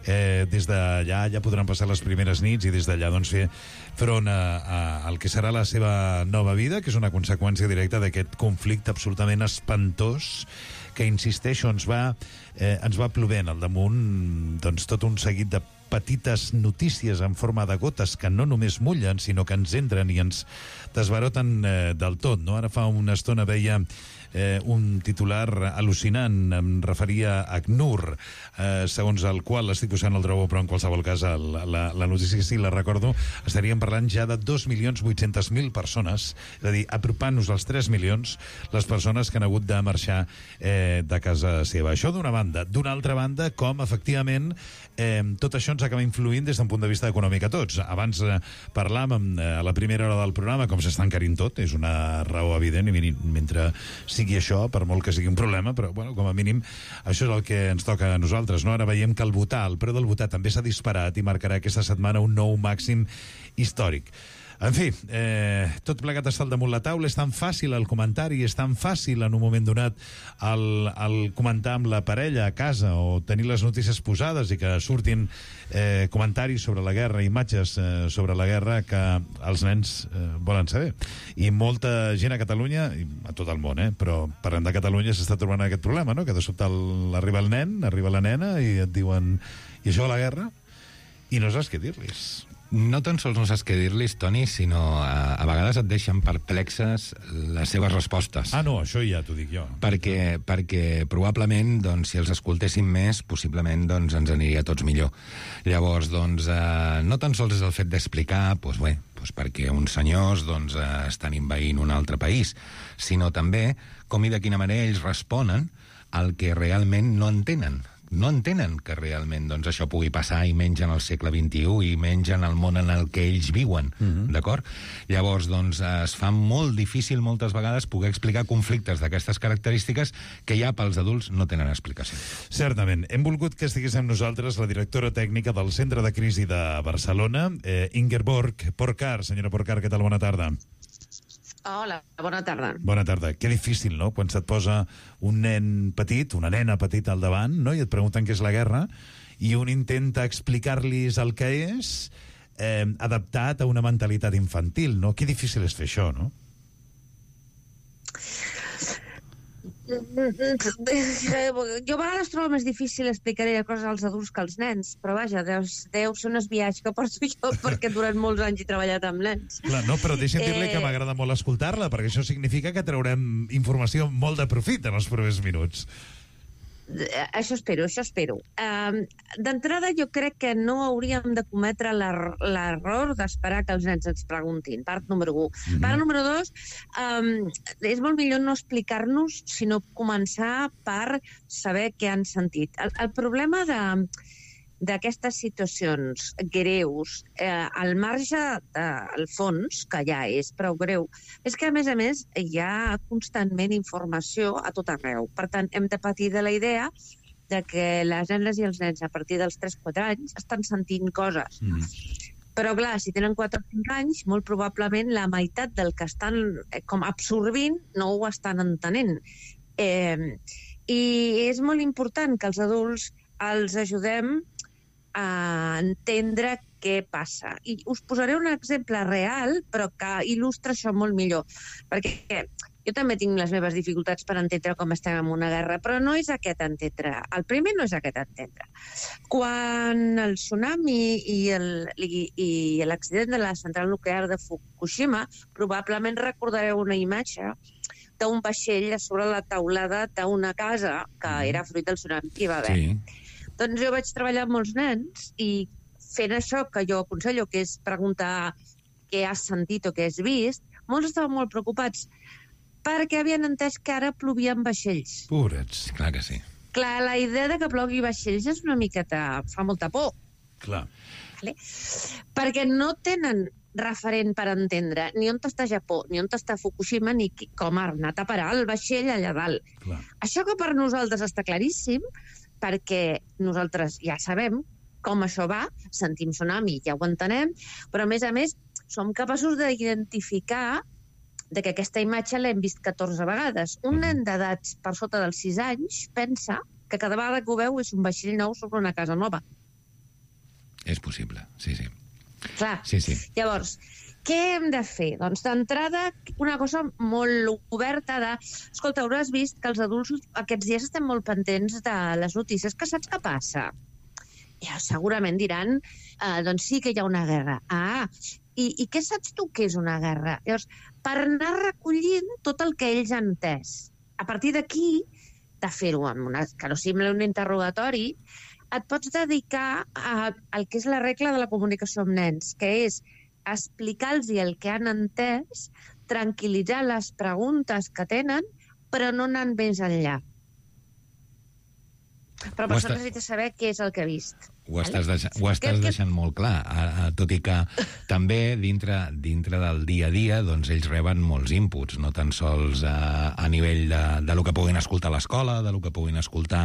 Des d'allà ja podran passar les primeres nits i des d'allà doncs, fer front al que serà la seva nova vida, que és una conseqüència directa d'aquest conflicte absolutament espantós que, insisteixo, ens va plovent al damunt doncs, tot un seguit de petites notícies en forma de gotes que no només mullen, sinó que ens entren i ens desbaroten del tot, no? Ara fa una estona veia un titular al·lucinant, em referia a ACNUR, segons el qual, l'estic posant el trobo, però en qualsevol cas la notícia, si la recordo, estaríem parlant ja de 2.800.000 persones, és a dir, apropant-nos als 3 milions les persones que han hagut de marxar de casa seva. Això d'una banda. D'una altra banda, com efectivament tot això ens acaba influint des d'un punt de vista econòmic a tots. Abans parlàvem a la primera hora del programa com s'està encarint tot, és una raó evident, i mentre sigui això, per molt que sigui un problema, però bueno, com a mínim això és el que ens toca a nosaltres, no? Ara veiem que el preu del votar també s'ha disparat i marcarà aquesta setmana un nou màxim històric. En fi, tot plegat està al damunt la taula. És tan fàcil el comentari, és tan fàcil en un moment donat el comentar amb la parella a casa o tenir les notícies posades i que surtin comentaris sobre la guerra, imatges sobre la guerra que els nens volen saber. I molta gent a Catalunya, i a tot el món, però parlant de Catalunya s'està trobant aquest problema, no? Que de sobte arriba el nen, arriba la nena i et diuen: i això de la guerra? I no saps què dir-los. No tan sols no saps què dir-los, Toni, sinó a vegades et deixen perplexes les seves respostes. Ah, no, això ja t'ho dic jo. Perquè probablement, doncs, si els escoltéssim més, possiblement doncs, ens aniria a tots millor. Llavors, doncs, no tan sols és el fet d'explicar, doncs bé, perquè uns senyors doncs, estan envaint un altre país, sinó també com i de quina manera ells responen al que realment no entenen. No entenen que realment doncs, això pugui passar i menys en el segle XXI i menys en el món en el que ells viuen, d'acord? Llavors, doncs, es fa molt difícil moltes vegades poder explicar conflictes d'aquestes característiques que ja pels adults no tenen explicació. Certament. Hem volgut que estigués amb nosaltres la directora tècnica del Centre de Crisi de Barcelona, Ingeborg Porcar. Senyora Porcar, què tal? Bona tarda. Hola, bona tarda. Bona tarda. Que difícil, no?, quan se't posa un nen petit, una nena petita al davant, no?, i et pregunten què és la guerra, i un intenta explicar-los el que és, adaptat a una mentalitat infantil, no? Que difícil és fer això, no? Jo a vegades trobo més difícil explicar coses als adults que als nens, però vaja, deu ser un esbiaix que porto jo perquè durant molts anys he treballat amb nens. Clar, no, però deixa'm dir-li que m'agrada molt escoltar-la, perquè això significa que traurem informació molt de profit en els propers minuts. Això espero. D'entrada, jo crec que no hauríem de cometre l'error d'esperar que els nens ens preguntin. Part número 1. Part número 2, és molt millor no explicar-nos, sinó començar per saber què han sentit. El problema d'aquestes situacions greus, al marge del fons, que ja és prou greu, és que, a més, hi ha constantment informació a tot arreu. Per tant, hem de patir de la idea de que les nenes i els nens, a partir dels 3-4 anys, estan sentint coses. Però, clar, si tenen 4 o 5 anys, molt probablement la meitat del que estan com absorbint no ho estan entenent. I és molt important que els adults els ajudem a entendre què passa. I us posaré un exemple real, però que il·lustra això molt millor. Perquè jo també tinc les meves dificultats per entendre com estem en una guerra, però no és aquest entendre. El primer no és aquest entendre. Quan el tsunami i l'accident de la central nuclear de Fukushima, probablement recordareu una imatge d'un vaixell a sobre la teulada d'una casa que era fruit del tsunami que hi va haver. Sí. Doncs jo vaig treballar amb molts nens i fent això que jo aconsello, que és preguntar què has sentit o què has vist, molts estaven molt preocupats perquè havien entès que ara plovien vaixells. Pobrets, clar que sí. Clar, la idea de que plogui vaixells és una miqueta... fa molta por. Clar. Perquè no tenen referent per entendre ni on està Japó, ni on està Fukushima, ni com ha anat a parar el vaixell allà dalt. Clar. Això que per nosaltres està claríssim, perquè nosaltres ja sabem com això va, sentim tsunami, ja ho entenem, però a més som capaços d'identificar que aquesta imatge l'hem vist 14 vegades. Un nen d'edats per sota dels 6 anys pensa que cada vegada que ho veu és un vaixell nou sobre una casa nova. És possible, sí. Clar. Sí. Llavors, què hem de fer? Doncs d'entrada, una cosa molt oberta de... Escolta, hauràs vist que els adults aquests dies estem molt pendents de les notícies, que saps què passa? Ja, segurament diran, doncs sí que hi ha una guerra. I què saps tu que és una guerra? Llavors, per anar recollint tot el que ells han entès. A partir d'aquí, de fer-ho que no sembla un interrogatori, et pots dedicar al que és la regla de la comunicació amb nens, que és explicar-los el que han entès, tranquil·litzar les preguntes que tenen, però no anant més enllà. Però per això necessites saber què és el que ha vist. Ho estàs deixant molt clar, tot i que també dintre del dia a dia doncs ells reben molts inputs, no tan sols a nivell de lo que puguin escoltar a l'escola, de lo que puguin escoltar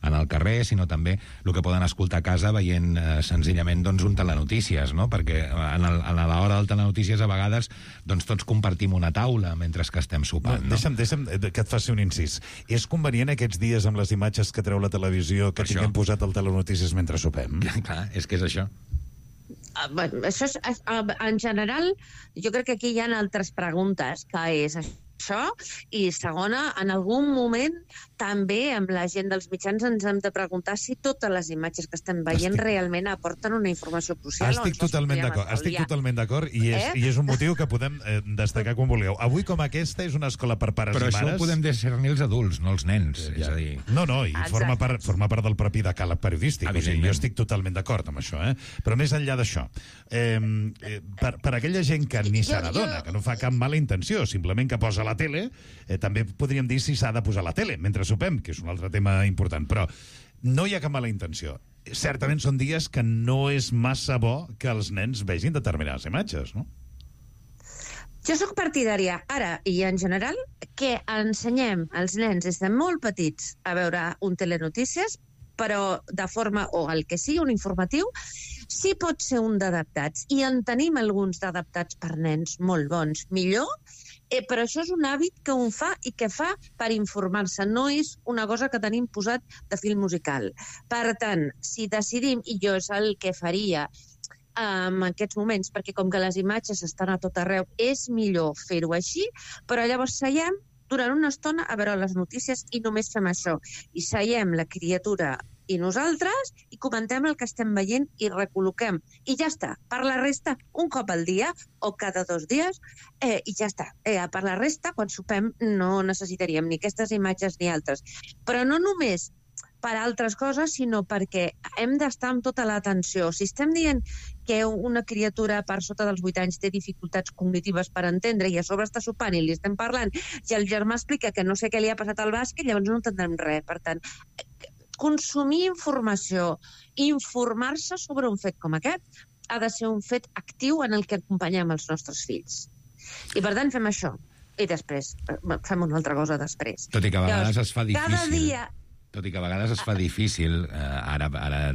en el carrer, sinó també el que poden escoltar a casa veient senzillament doncs, un telenotícies, no? Perquè a l'hora del telenotícies a vegades doncs, tots compartim una taula mentre que estem sopant. No? Deixa'm que et faci un incís. És convenient aquests dies amb les imatges que treu la televisió que tinguem posat al telenotícies mentre sopem? Clar, és que és això. Això és, en general, jo crec que aquí hi ha altres preguntes, que és això, i segona, en algun moment també amb la gent dels mitjans ens hem de preguntar si totes les imatges que estem veient realment aporten una informació crucial. Estic totalment d'acord i és un motiu que podem destacar quan vulgueu. Avui, com aquesta, és una escola per pares però i mares... Però això ho podem discernir els adults, no els nens. És a dir... No, i forma part del propi decàleg periodístic. O sigui, jo estic totalment d'acord amb això, Però més enllà d'això, per aquella gent que ni se n'adona, que no fa cap mala intenció, simplement que posa la tele, també podríem dir si s'ha de posar la tele mentre sopem, que és un altre tema important, però no hi ha cap mala intenció. Certament són dies que no és massa bo que els nens vegin determinades imatges, no? Jo sóc partidària, ara i en general, que ensenyem als nens des de molt petits a veure un telenotícies, però de forma, o el que sigui, un informatiu, sí pot ser un d'adaptats, i en tenim alguns d'adaptats per nens molt bons. Millor, però això és un hàbit que un fa i que fa per informar-se, no és una cosa que tenim posat de fil musical. Per tant, si decidim, i jo és el que faria en aquests moments, perquè com que les imatges estan a tot arreu, és millor fer-ho així, però llavors seiem durant una estona a veure les notícies i només fem això. I seiem la criatura i nosaltres i comentem el que estem veient i recol·loquem. I ja està. Per la resta, un cop al dia o cada 2 dies, i ja està. Per la resta, quan sopem, no necessitaríem ni aquestes imatges ni altres. Però no només per altres coses, sinó perquè hem d'estar amb tota l'atenció. Si estem dient que una criatura per sota dels 8 anys té dificultats cognitives per entendre i a sobre està sopant i li estem parlant i el germà explica que no sé què li ha passat al bàsquet, llavors no entendrem res. Per tant, consumir informació, informar-se sobre un fet com aquest, ha de ser un fet actiu en el que acompanyem els nostres fills. I per tant fem això. I després fem una altra cosa després. Tot i que a vegades es fa difícil. Cada dia... Tot i que a vegades es fa difícil, ara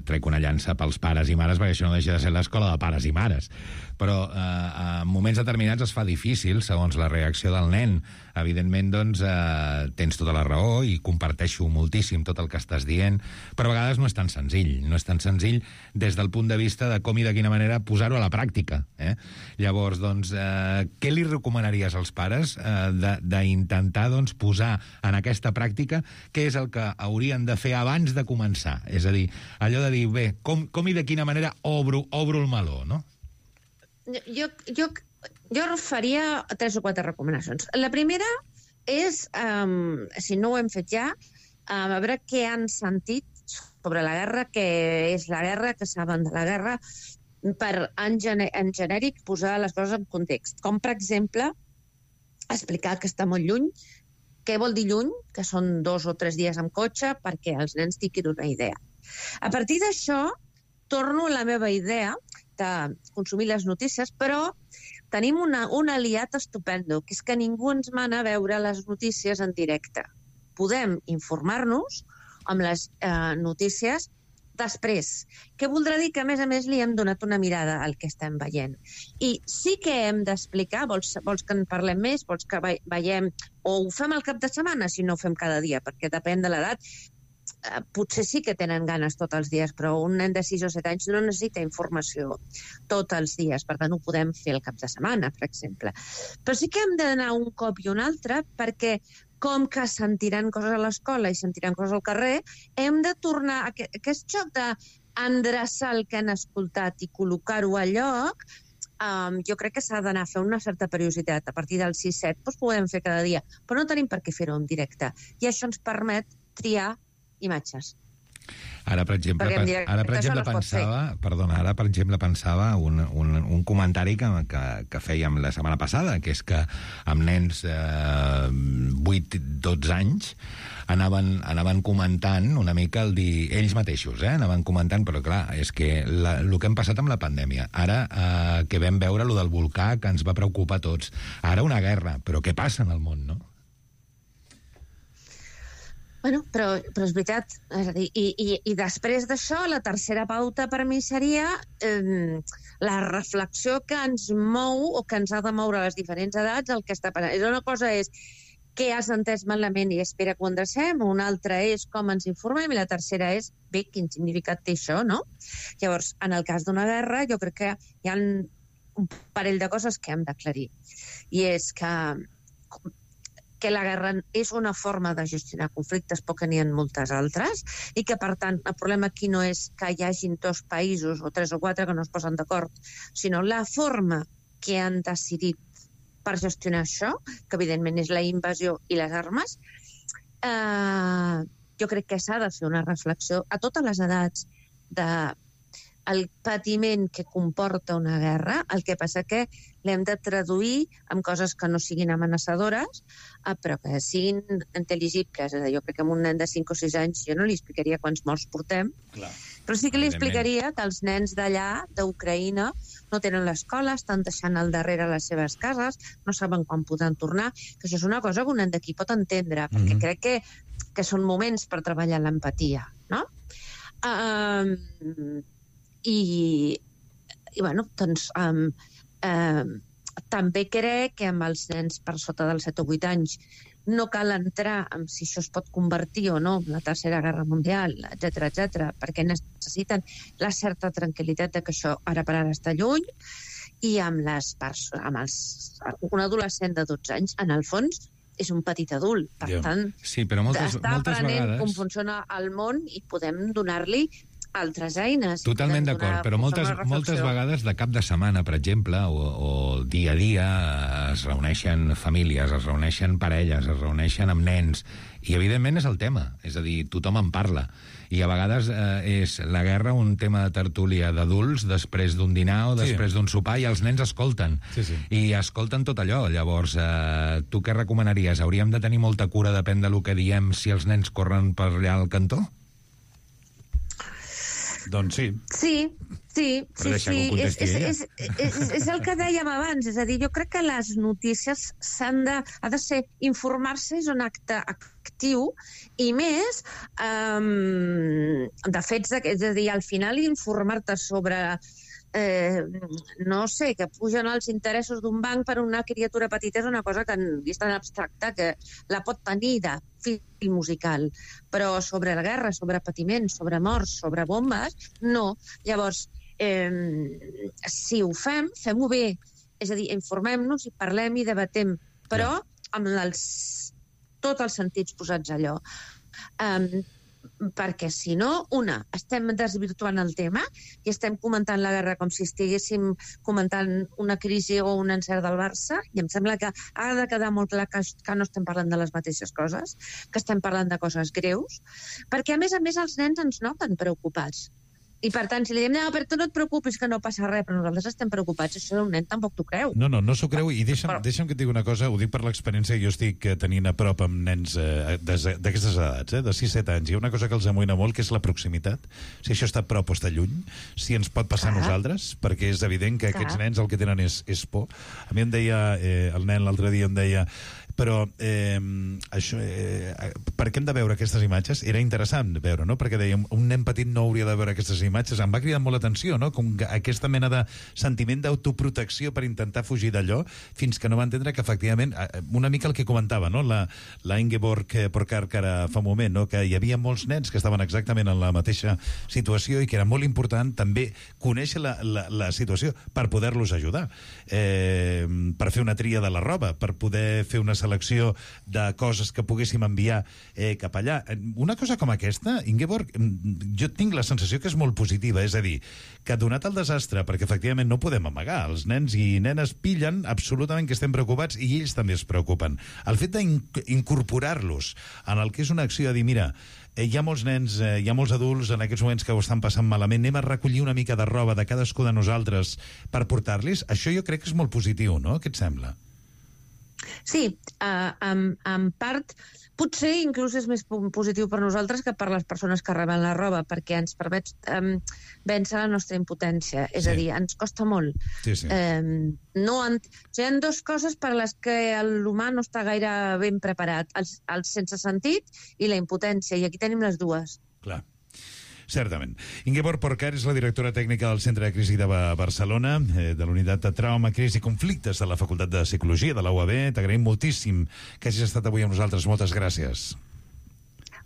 trec una llança pels pares i mares, perquè això no deixa de ser l'escola de pares i mares, però en moments determinats es fa difícil, segons la reacció del nen. Evidentment, doncs, tens tota la raó i comparteixo moltíssim tot el que estàs dient, però a vegades no és tan senzill. No és tan senzill des del punt de vista de com i de quina manera posar-ho a la pràctica. Llavors, doncs, què li recomanaries als pares d'intentar doncs, posar en aquesta pràctica què és el que haurien de fer abans de començar? És a dir, allò de dir, bé, com i de quina manera obro el meló, no? Jo faria 3 o 4 recomanacions. La primera és, si no ho hem fet ja, a veure què han sentit sobre la guerra, què és la guerra, què saben de la guerra, per en genèric posar les coses en context. Com, per exemple, explicar que està molt lluny, què vol dir lluny, que són 2 o 3 dies amb cotxe, perquè els nens tinguin una idea. A partir d'això, torno a la meva idea de consumir les notícies, però tenim un aliat estupendo, que és que ningú ens mana a veure les notícies en directe. Podem informar-nos amb les notícies després, què voldrà dir que, a més, li hem donat una mirada al que estem veient. I sí que hem d'explicar, vols que en parlem més, vols que veiem, o ho fem al cap de setmana, si no ho fem cada dia, perquè depèn de l'edat, potser sí que tenen ganes tots els dies, però un nen de 6 o 7 anys no necessita informació tots els dies, per tant ho podem fer el cap de setmana, per exemple. Però sí que hem d'anar un cop i un altre, perquè com que sentiran coses a l'escola i sentiran coses al carrer, hem de tornar a aquest joc d'endreçar el que han escoltat i col·locar-ho a lloc. Jo crec que s'ha d'anar a fer una certa periodicitat. A partir del 6-7 doncs podem fer cada dia, però no tenim per què fer-ho en directe. I això ens permet triar imatges. Ara, per exemple, pensava un comentari que fèiem la setmana passada, que és que amb nens 8-12 anys anaven comentant una mica el dir ells mateixos, anaven comentant, però clar, és que el que hem passat amb la pandèmia, ara que vam veure lo del volcà, que ens va preocupar a tots, ara una guerra, però què passa en el món, no? Bueno, però és veritat, és a dir, i després d'això, la tercera pauta per mi seria la reflexió que ens mou o que ens ha de moure a les diferents edats el que està passant. Una cosa és què has entès malament i espera que ho endrecem, una altra és com ens informem i la tercera és, bé, quin significat té això, no? Llavors, en el cas d'una guerra, jo crec que hi ha un parell de coses que hem d'aclarir. I és que la guerra és una forma de gestionar conflictes, però que n'hi ha moltes altres, i que, per tant, el problema aquí no és que hi hagin 2 països o 3 o 4 que no es posen d'acord, sinó la forma que han decidit per gestionar això, que evidentment és la invasió i les armes. Jo crec que s'ha de fer una reflexió a totes les edats del patiment que comporta una guerra. El que passa que l'hem de traduir en coses que no siguin amenaçadores, però que siguin intel·ligibles. Jo crec que a un nen de 5 o 6 anys jo no li explicaria quants morts portem, però sí que li explicaria que els nens d'allà, d'Ucraïna, no tenen l'escola, estan deixant al darrere les seves cases, no saben quan podran tornar, que això és una cosa que un nen d'aquí pot entendre, perquè crec que són moments per treballar l'empatia, no? I bueno, doncs també crec que amb els nens per sota dels 7 o 8 anys no cal entrar en si això es pot convertir o no en la Tercera Guerra Mundial, etc, perquè necessiten la certa tranquil·litat de que això ara per ara està lluny, i amb un adolescent de 12 anys, en el fons, és un petit adult. Per tant, està aprenent com funciona el món i podem donar-li altres eines. Totalment d'acord, però moltes vegades de cap de setmana, per exemple, o dia a dia, es reuneixen famílies, es reuneixen parelles, es reuneixen amb nens, i evidentment és el tema, és a dir, tothom en parla. I a vegades és la guerra un tema de tertúlia d'adults després d'un dinar o després d'un sopar, i els nens escolten. I escolten tot allò. Llavors, tu què recomanaries? Hauríem de tenir molta cura, depèn del que diem, si els nens corren per allà al cantó? Doncs sí. Sí. És el que dèiem abans. És a dir, jo crec que les notícies ha de ser informar-se, és un acte actiu, i més de fets, és a dir, al final informar-te sobre no sé, que pugen els interessos d'un banc per una criatura petita és una cosa que és tan abstracta que la pot tenir de fil musical, però sobre la guerra, sobre patiment, sobre morts, sobre bombes, no. Llavors, si ho fem-ho bé, és a dir, informem-nos i parlem i debatem, però amb tots els sentits posats allò. Perquè si no, estem desvirtuant el tema i estem comentant la guerra com si estiguéssim comentant una crisi o un encert del Barça, i em sembla que ha de quedar molt clar que no estem parlant de les mateixes coses, que estem parlant de coses greus, perquè a més els nens ens noten preocupats. I per tant, si li diem, no, però tu no et preocupis que no passa res, però nosaltres estem preocupats, això un nen tampoc t'ho creu. No s'ho creu, i deixa'm que et digui una cosa, ho dic per l'experiència que jo estic tenint a prop amb nens d'aquestes edats, de 6-7 anys. Hi ha una cosa que els amoïna molt, que és la proximitat. Si això està a prop o està lluny, si ens pot passar a nosaltres, perquè és evident que aquests nens el que tenen és por. A mi em deia, el nen l'altre dia em deia, Però això, per què hem de veure aquestes imatges? Era interessant veure, no? Perquè dèiem, un nen petit no hauria de veure aquestes imatges. Em va cridar molt l'atenció, no? Com aquesta mena de sentiment d'autoprotecció per intentar fugir d'allò, fins que no va entendre que, efectivament, una mica el que comentava, no? La Ingeborg Porkarkar fa un moment, no? Que hi havia molts nens que estaven exactament en la mateixa situació i que era molt important també conèixer la situació per poder-los ajudar. Per fer una tria de la roba, per poder fer una selecció de coses que poguéssim enviar cap allà. Una cosa com aquesta, Ingeborg, jo tinc la sensació que és molt positiva, és a dir, que donat el desastre, perquè efectivament no podem amagar, els nens i nenes pillen absolutament que estem preocupats i ells també es preocupen. El fet d'incorporar-los en el que és una acció de dir, mira, hi ha molts nens, hi ha molts adults en aquests moments que ho estan passant malament, anem a recollir una mica de roba de cadascú de nosaltres per portar-los, això jo crec que és molt positiu, no? Què et sembla? Sí, en part, potser inclús és més positiu per nosaltres que per les persones que reben la roba, perquè ens permet vèncer la nostra impotència. És a dir, ens costa molt. Sí, sí. Hi ha dues coses per les que l'humà no està gaire ben preparat. El sense sentit i la impotència, i aquí tenim les dues. Clar. Certament. Ingeborg Porkarkar és la directora tècnica del Centre de Crisi de Barcelona, de la Unitat de Trauma, Crisi i Conflictes de la Facultat de Psicologia de la UAB. T'agraïm moltíssim que hagis estat avui amb nosaltres. Moltes gràcies.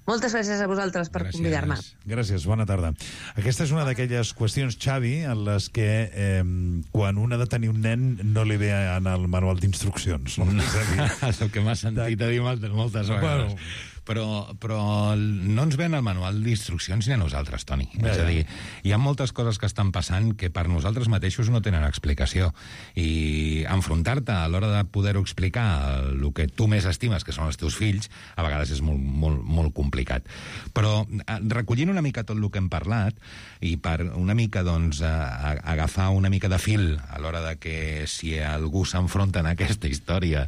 Moltes gràcies a vosaltres per convidar-me. Gràcies, bona tarda. Aquesta és una d'aquelles qüestions, Xavi, en les que quan un ha de tenir un nen no li ve en el manual d'instruccions. No? És el que m'ha sentit a dir moltes vegades. Però no ens ven el manual d'instruccions ni a nosaltres, Toni. És a dir, hi ha moltes coses que estan passant que per nosaltres mateixos no tenen explicació. I enfrontar-te a l'hora de poder-ho explicar el que tu més estimes, que són els teus fills, a vegades és molt complicat. Però recollint una mica tot el que hem parlat i per una mica doncs, agafar una mica de fil a l'hora de que si algú s'enfronta en aquesta història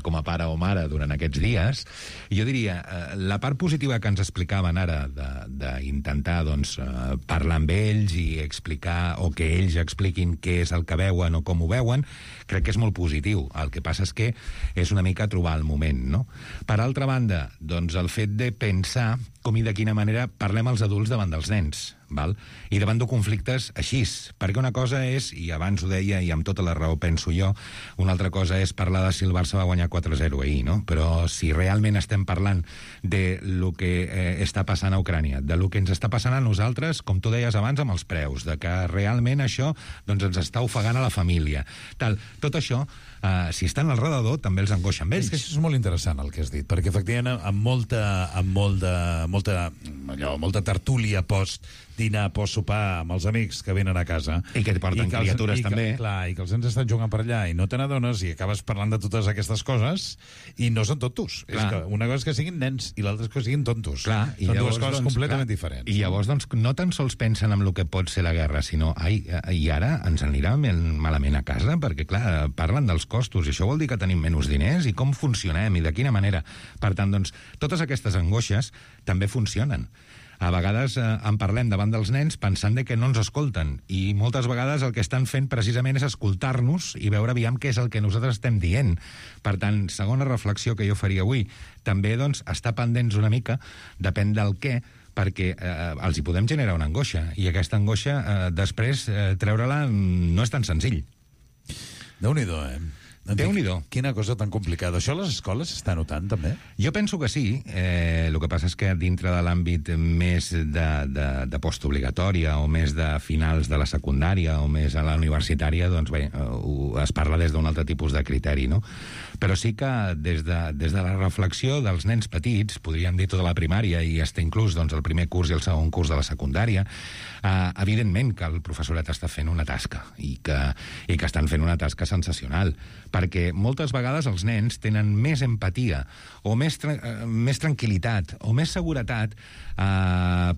com a pare o mare durant aquests dies, jo diria la part positiva que ens explicaven ara d'intentar doncs, parlar amb ells i explicar, o que ells expliquin què és el que veuen o com ho veuen, crec que és molt positiu. El que passa és que és una mica trobar el moment, no? Per altra banda, doncs el fet de pensar com i de quina manera parlem els adults davant dels nens, val? I davant de conflictes així, perquè una cosa és, i abans ho deia i amb tota la raó penso jo, una altra cosa és parlar de si el Barça va guanyar 4-0 ahir, no? Però si realment estem parlant de lo que està passant a Ucrània, de lo que ens està passant a nosaltres, com tu deies abans, amb els preus, de que realment això doncs, ens està ofegant a la família, tal, tot això, si estan al redador, també els angoixa amb ells. És que això és molt interessant el que has dit, perquè efectivament amb molta tertúlia post-dinar, post-sopar amb els amics que venen a casa. I que et porten criatures també. Clar, i que els nens estan jugant per allà i no te n'adones i acabes parlant de totes aquestes coses i no són tontos. És que una cosa és que siguin nens i l'altra és que siguin tontos. Clar, són dues coses completament diferents. I llavors doncs, no tan sols pensen en el que pot ser la guerra, sinó i ara ens anirà malament a casa, perquè clar, parlen dels costos, i això vol dir que tenim menys diners, i com funcionem, i de quina manera. Per tant, doncs, totes aquestes angoixes també funcionen. A vegades en parlem davant dels nens pensant que no ens escolten, i moltes vegades el que estan fent precisament és escoltar-nos i veure aviam què és el que nosaltres estem dient. Per tant, segona reflexió que jo faria avui, també doncs, estar pendents una mica, depèn del què, perquè els hi podem generar una angoixa, i aquesta angoixa després treure-la no és tan senzill. Déu-n'hi-do, Déu-n'hi-do. Quina cosa tan complicada. Això a les escoles s'està notant, també? Jo penso que sí. El que passa és que dintre de l'àmbit més de postobligatòria o més de finals de la secundària o més a la universitària, doncs bé, es parla des d'un altre tipus de criteri, no? Però sí que des de la reflexió dels nens petits, podríem dir tota la primària i fins inclús doncs, el primer curs i el segon curs de la secundària, evidentment que el professorat està fent una tasca i que estan fent una tasca sensacional, perquè moltes vegades els nens tenen més empatia o més tranquil·litat o més seguretat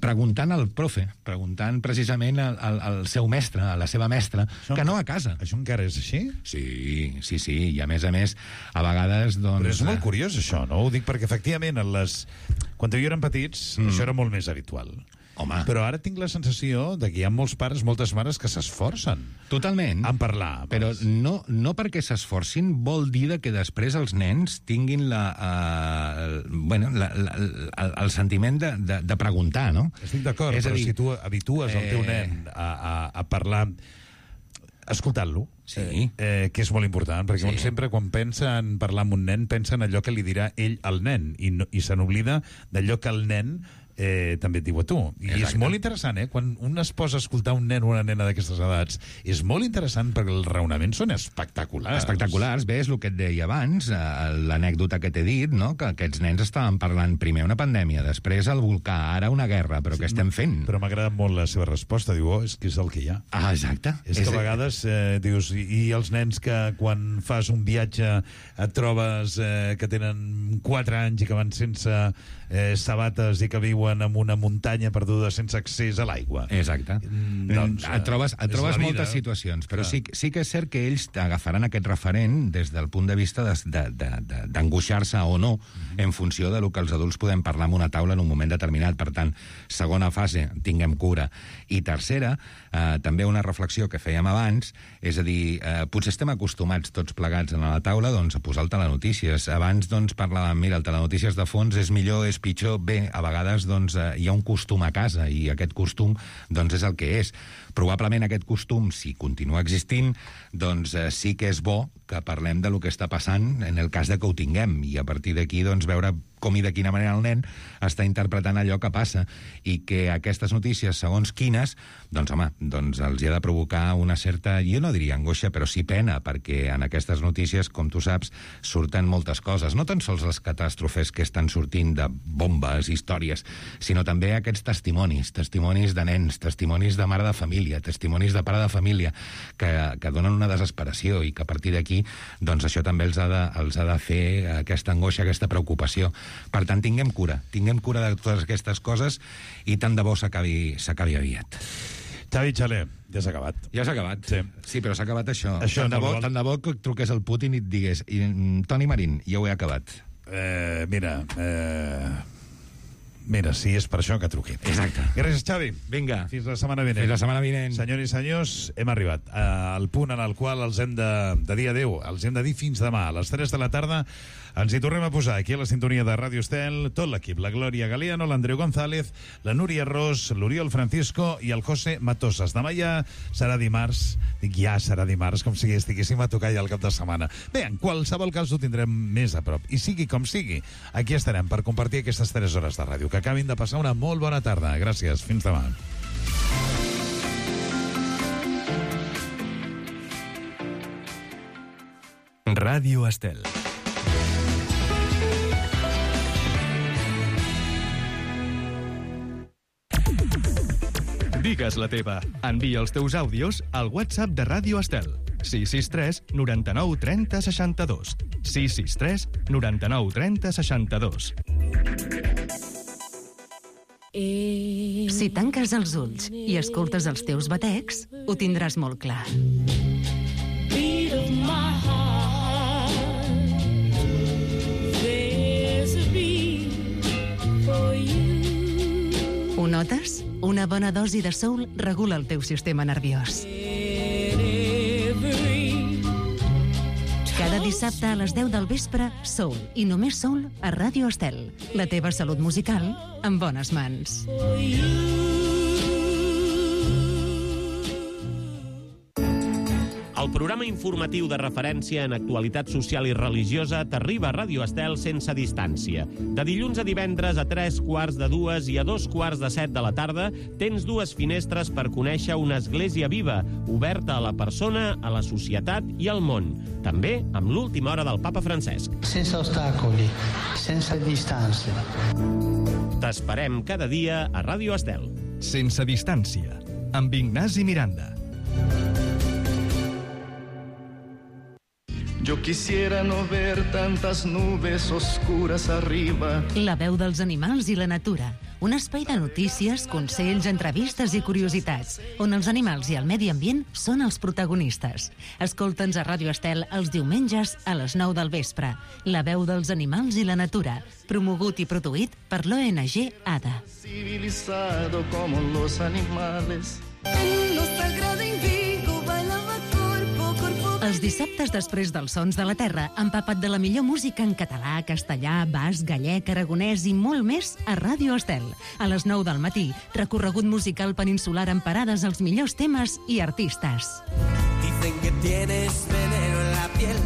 preguntant al profe, preguntant precisament al seu mestre, a la seva mestra, que no a casa. Això encara és així? Sí, i a més, a vegades... Doncs, però és molt curiós això, no? Ho dic perquè efectivament quan jo érem petits això era molt més habitual. Home. Però ara tinc la sensació de que hi ha molts pares, moltes mares que s'esforcen. Totalment. En parlar. Però no perquè s'esforcin vol dir que després els nens tinguin el sentiment de preguntar, no? Estic d'acord, però si tu habitues el teu nen a parlar escoltant-lo, que és molt important, perquè un sempre quan pensa en parlar amb un nen pensa en allò que li dirà ell al nen i se n'oblida d'allò que el nen també et diu a tu. I és molt interessant, quan un es posa a escoltar un nen o una nena d'aquestes edats, és molt interessant perquè els raonaments són espectaculars. Espectaculars. Bé, és el que et deia abans, l'anècdota que t'he dit, no? Que aquests nens estaven parlant primer una pandèmia, després el volcà, ara una guerra, però què estem fent? Però m'ha agradat molt la seva resposta, diu, és que és el que hi ha. Ah, exacte. És que a vegades dius, i els nens que quan fas un viatge et trobes que tenen 4 anys i que van sense sabates i que viuen en una muntanya perduda sense accés a l'aigua. Exacte. Doncs, et trobes moltes situacions, però sí que és cert que ells agafaran aquest referent des del punt de vista d'angoixar-se o no en funció del que els adults podem parlar en una taula en un moment determinat. Per tant, segona fase, tinguem cura. I tercera, també una reflexió que fèiem abans, és a dir, potser estem acostumats tots plegats a la taula doncs, a posar el telenotícies. Abans doncs, parlàvem, mira, el telenotícies de fons és millor, és pitjor. Bé, a vegades doncs, hi ha un costum a casa i aquest costum doncs, és el que és. Probablement aquest costum, si continua existint, doncs sí que és bo que parlem de lo que està passant en el cas de que ho tinguem i a partir d'aquí doncs, veure com i de quina manera el nen està interpretant allò que passa i que aquestes notícies, segons quines, doncs home, doncs els hi ha de provocar una certa, jo no diria angoixa, però sí pena, perquè en aquestes notícies, com tu saps, surten moltes coses, no tan sols les catàstrofes que estan sortint de bombes, històries, sinó també aquests testimonis de nens, testimonis de mare de família, testimonis de pare de família, que donen una desesperació i que a partir d'aquí, doncs això també els ha de fer aquesta angoixa, aquesta preocupació. Per tant, tinguem cura de totes aquestes coses i tant de bo s'acabi aviat. Xavi Xaler, ja s'ha acabat. Ja s'ha acabat? Sí, però s'ha acabat això. Tant de bo que truqués el Putin i et digués Toni Marín, ja ho he acabat. Mira, si és per això que truqui. Exacte. Gràcies, Xavi. Vinga. Fins la setmana vinent. Fins la setmana vinent. Senyors i senyors, hem arribat al punt en el qual els hem de dir adéu. Els hem de dir fins demà. A les 3 de la tarda ens hi tornem a posar aquí a la sintonia de Ràdio Estel, tot l'equip, la Glòria Galeano, l'Andreu González, la Núria Ros, l'Oriol Francisco i el José Matosas. Demà ja serà dimarts. Dic ja serà dimarts, com si estiguéssim a tocar ja el cap de setmana. Bé, en qualsevol cas ho tindrem més a prop. I sigui com sigui, aquí estarem per compartir aquestes 3 hores de ràdio. Que acabin de passar una molt bona tarda. Gràcies. Fins demà. Ràdio Estel. Digues la teva. Envia els teus àudios al WhatsApp de Ràdio Estel. 663 99 30 62. 663 99 30 62. Si tanques els ulls i escoltes els teus batecs, ho tindràs molt clar. Ho notes? Una bona dosi de soul regula el teu sistema nerviós. Cada dissabte a les 10 del vespre, soul i només soul a Ràdio Estel. La teva salut musical en bones mans. El programa informatiu de referència en actualitat social i religiosa t'arriba a Ràdio Estel sense distància. De dilluns a divendres a 3:45 i a 2:45 de la tarda tens 2 finestres per conèixer una església viva, oberta a la persona, a la societat i al món. També amb l'última hora del Papa Francesc. Sense ostacoli, sense distància. T'esperem cada dia a Ràdio Estel. Sense distància, amb Ignasi Miranda. Yo quisiera no ver tantas nubes oscuras arriba. La veu dels animals i la natura. un espai de notícies, consells, entrevistes i curiositats, on els animals i el medi ambient són els protagonistes. Escolta'ns a Ràdio Estel els diumenges a les 9 del vespre. La veu dels animals i la natura, promogut i produït per l'ONG ADA. Civilizado como los animales. Els dissabtes després dels Sons de la Terra, empapat de la millor música en català, castellà, basc, gallec, aragonès i molt més a Ràdio Estel. A les 9 del matí, recorregut musical peninsular amb parades als millors temes i artistes. Dicen que tienes veneno en la piel.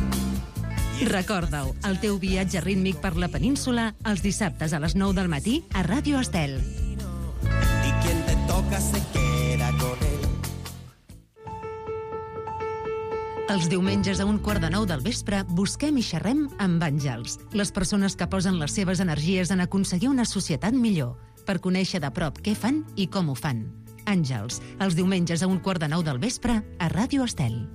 Recorda-ho, el teu viatge rítmic per la península els dissabtes a les 9 del matí a Ràdio Estel. Y quien te toca se queda con él. Els diumenges a 8:45 del vespre busquem i xerrem amb àngels, les persones que posen les seves energies en aconseguir una societat millor, per conèixer de prop què fan i com ho fan. Àngels, els diumenges a 8:45 del vespre a Ràdio Estel.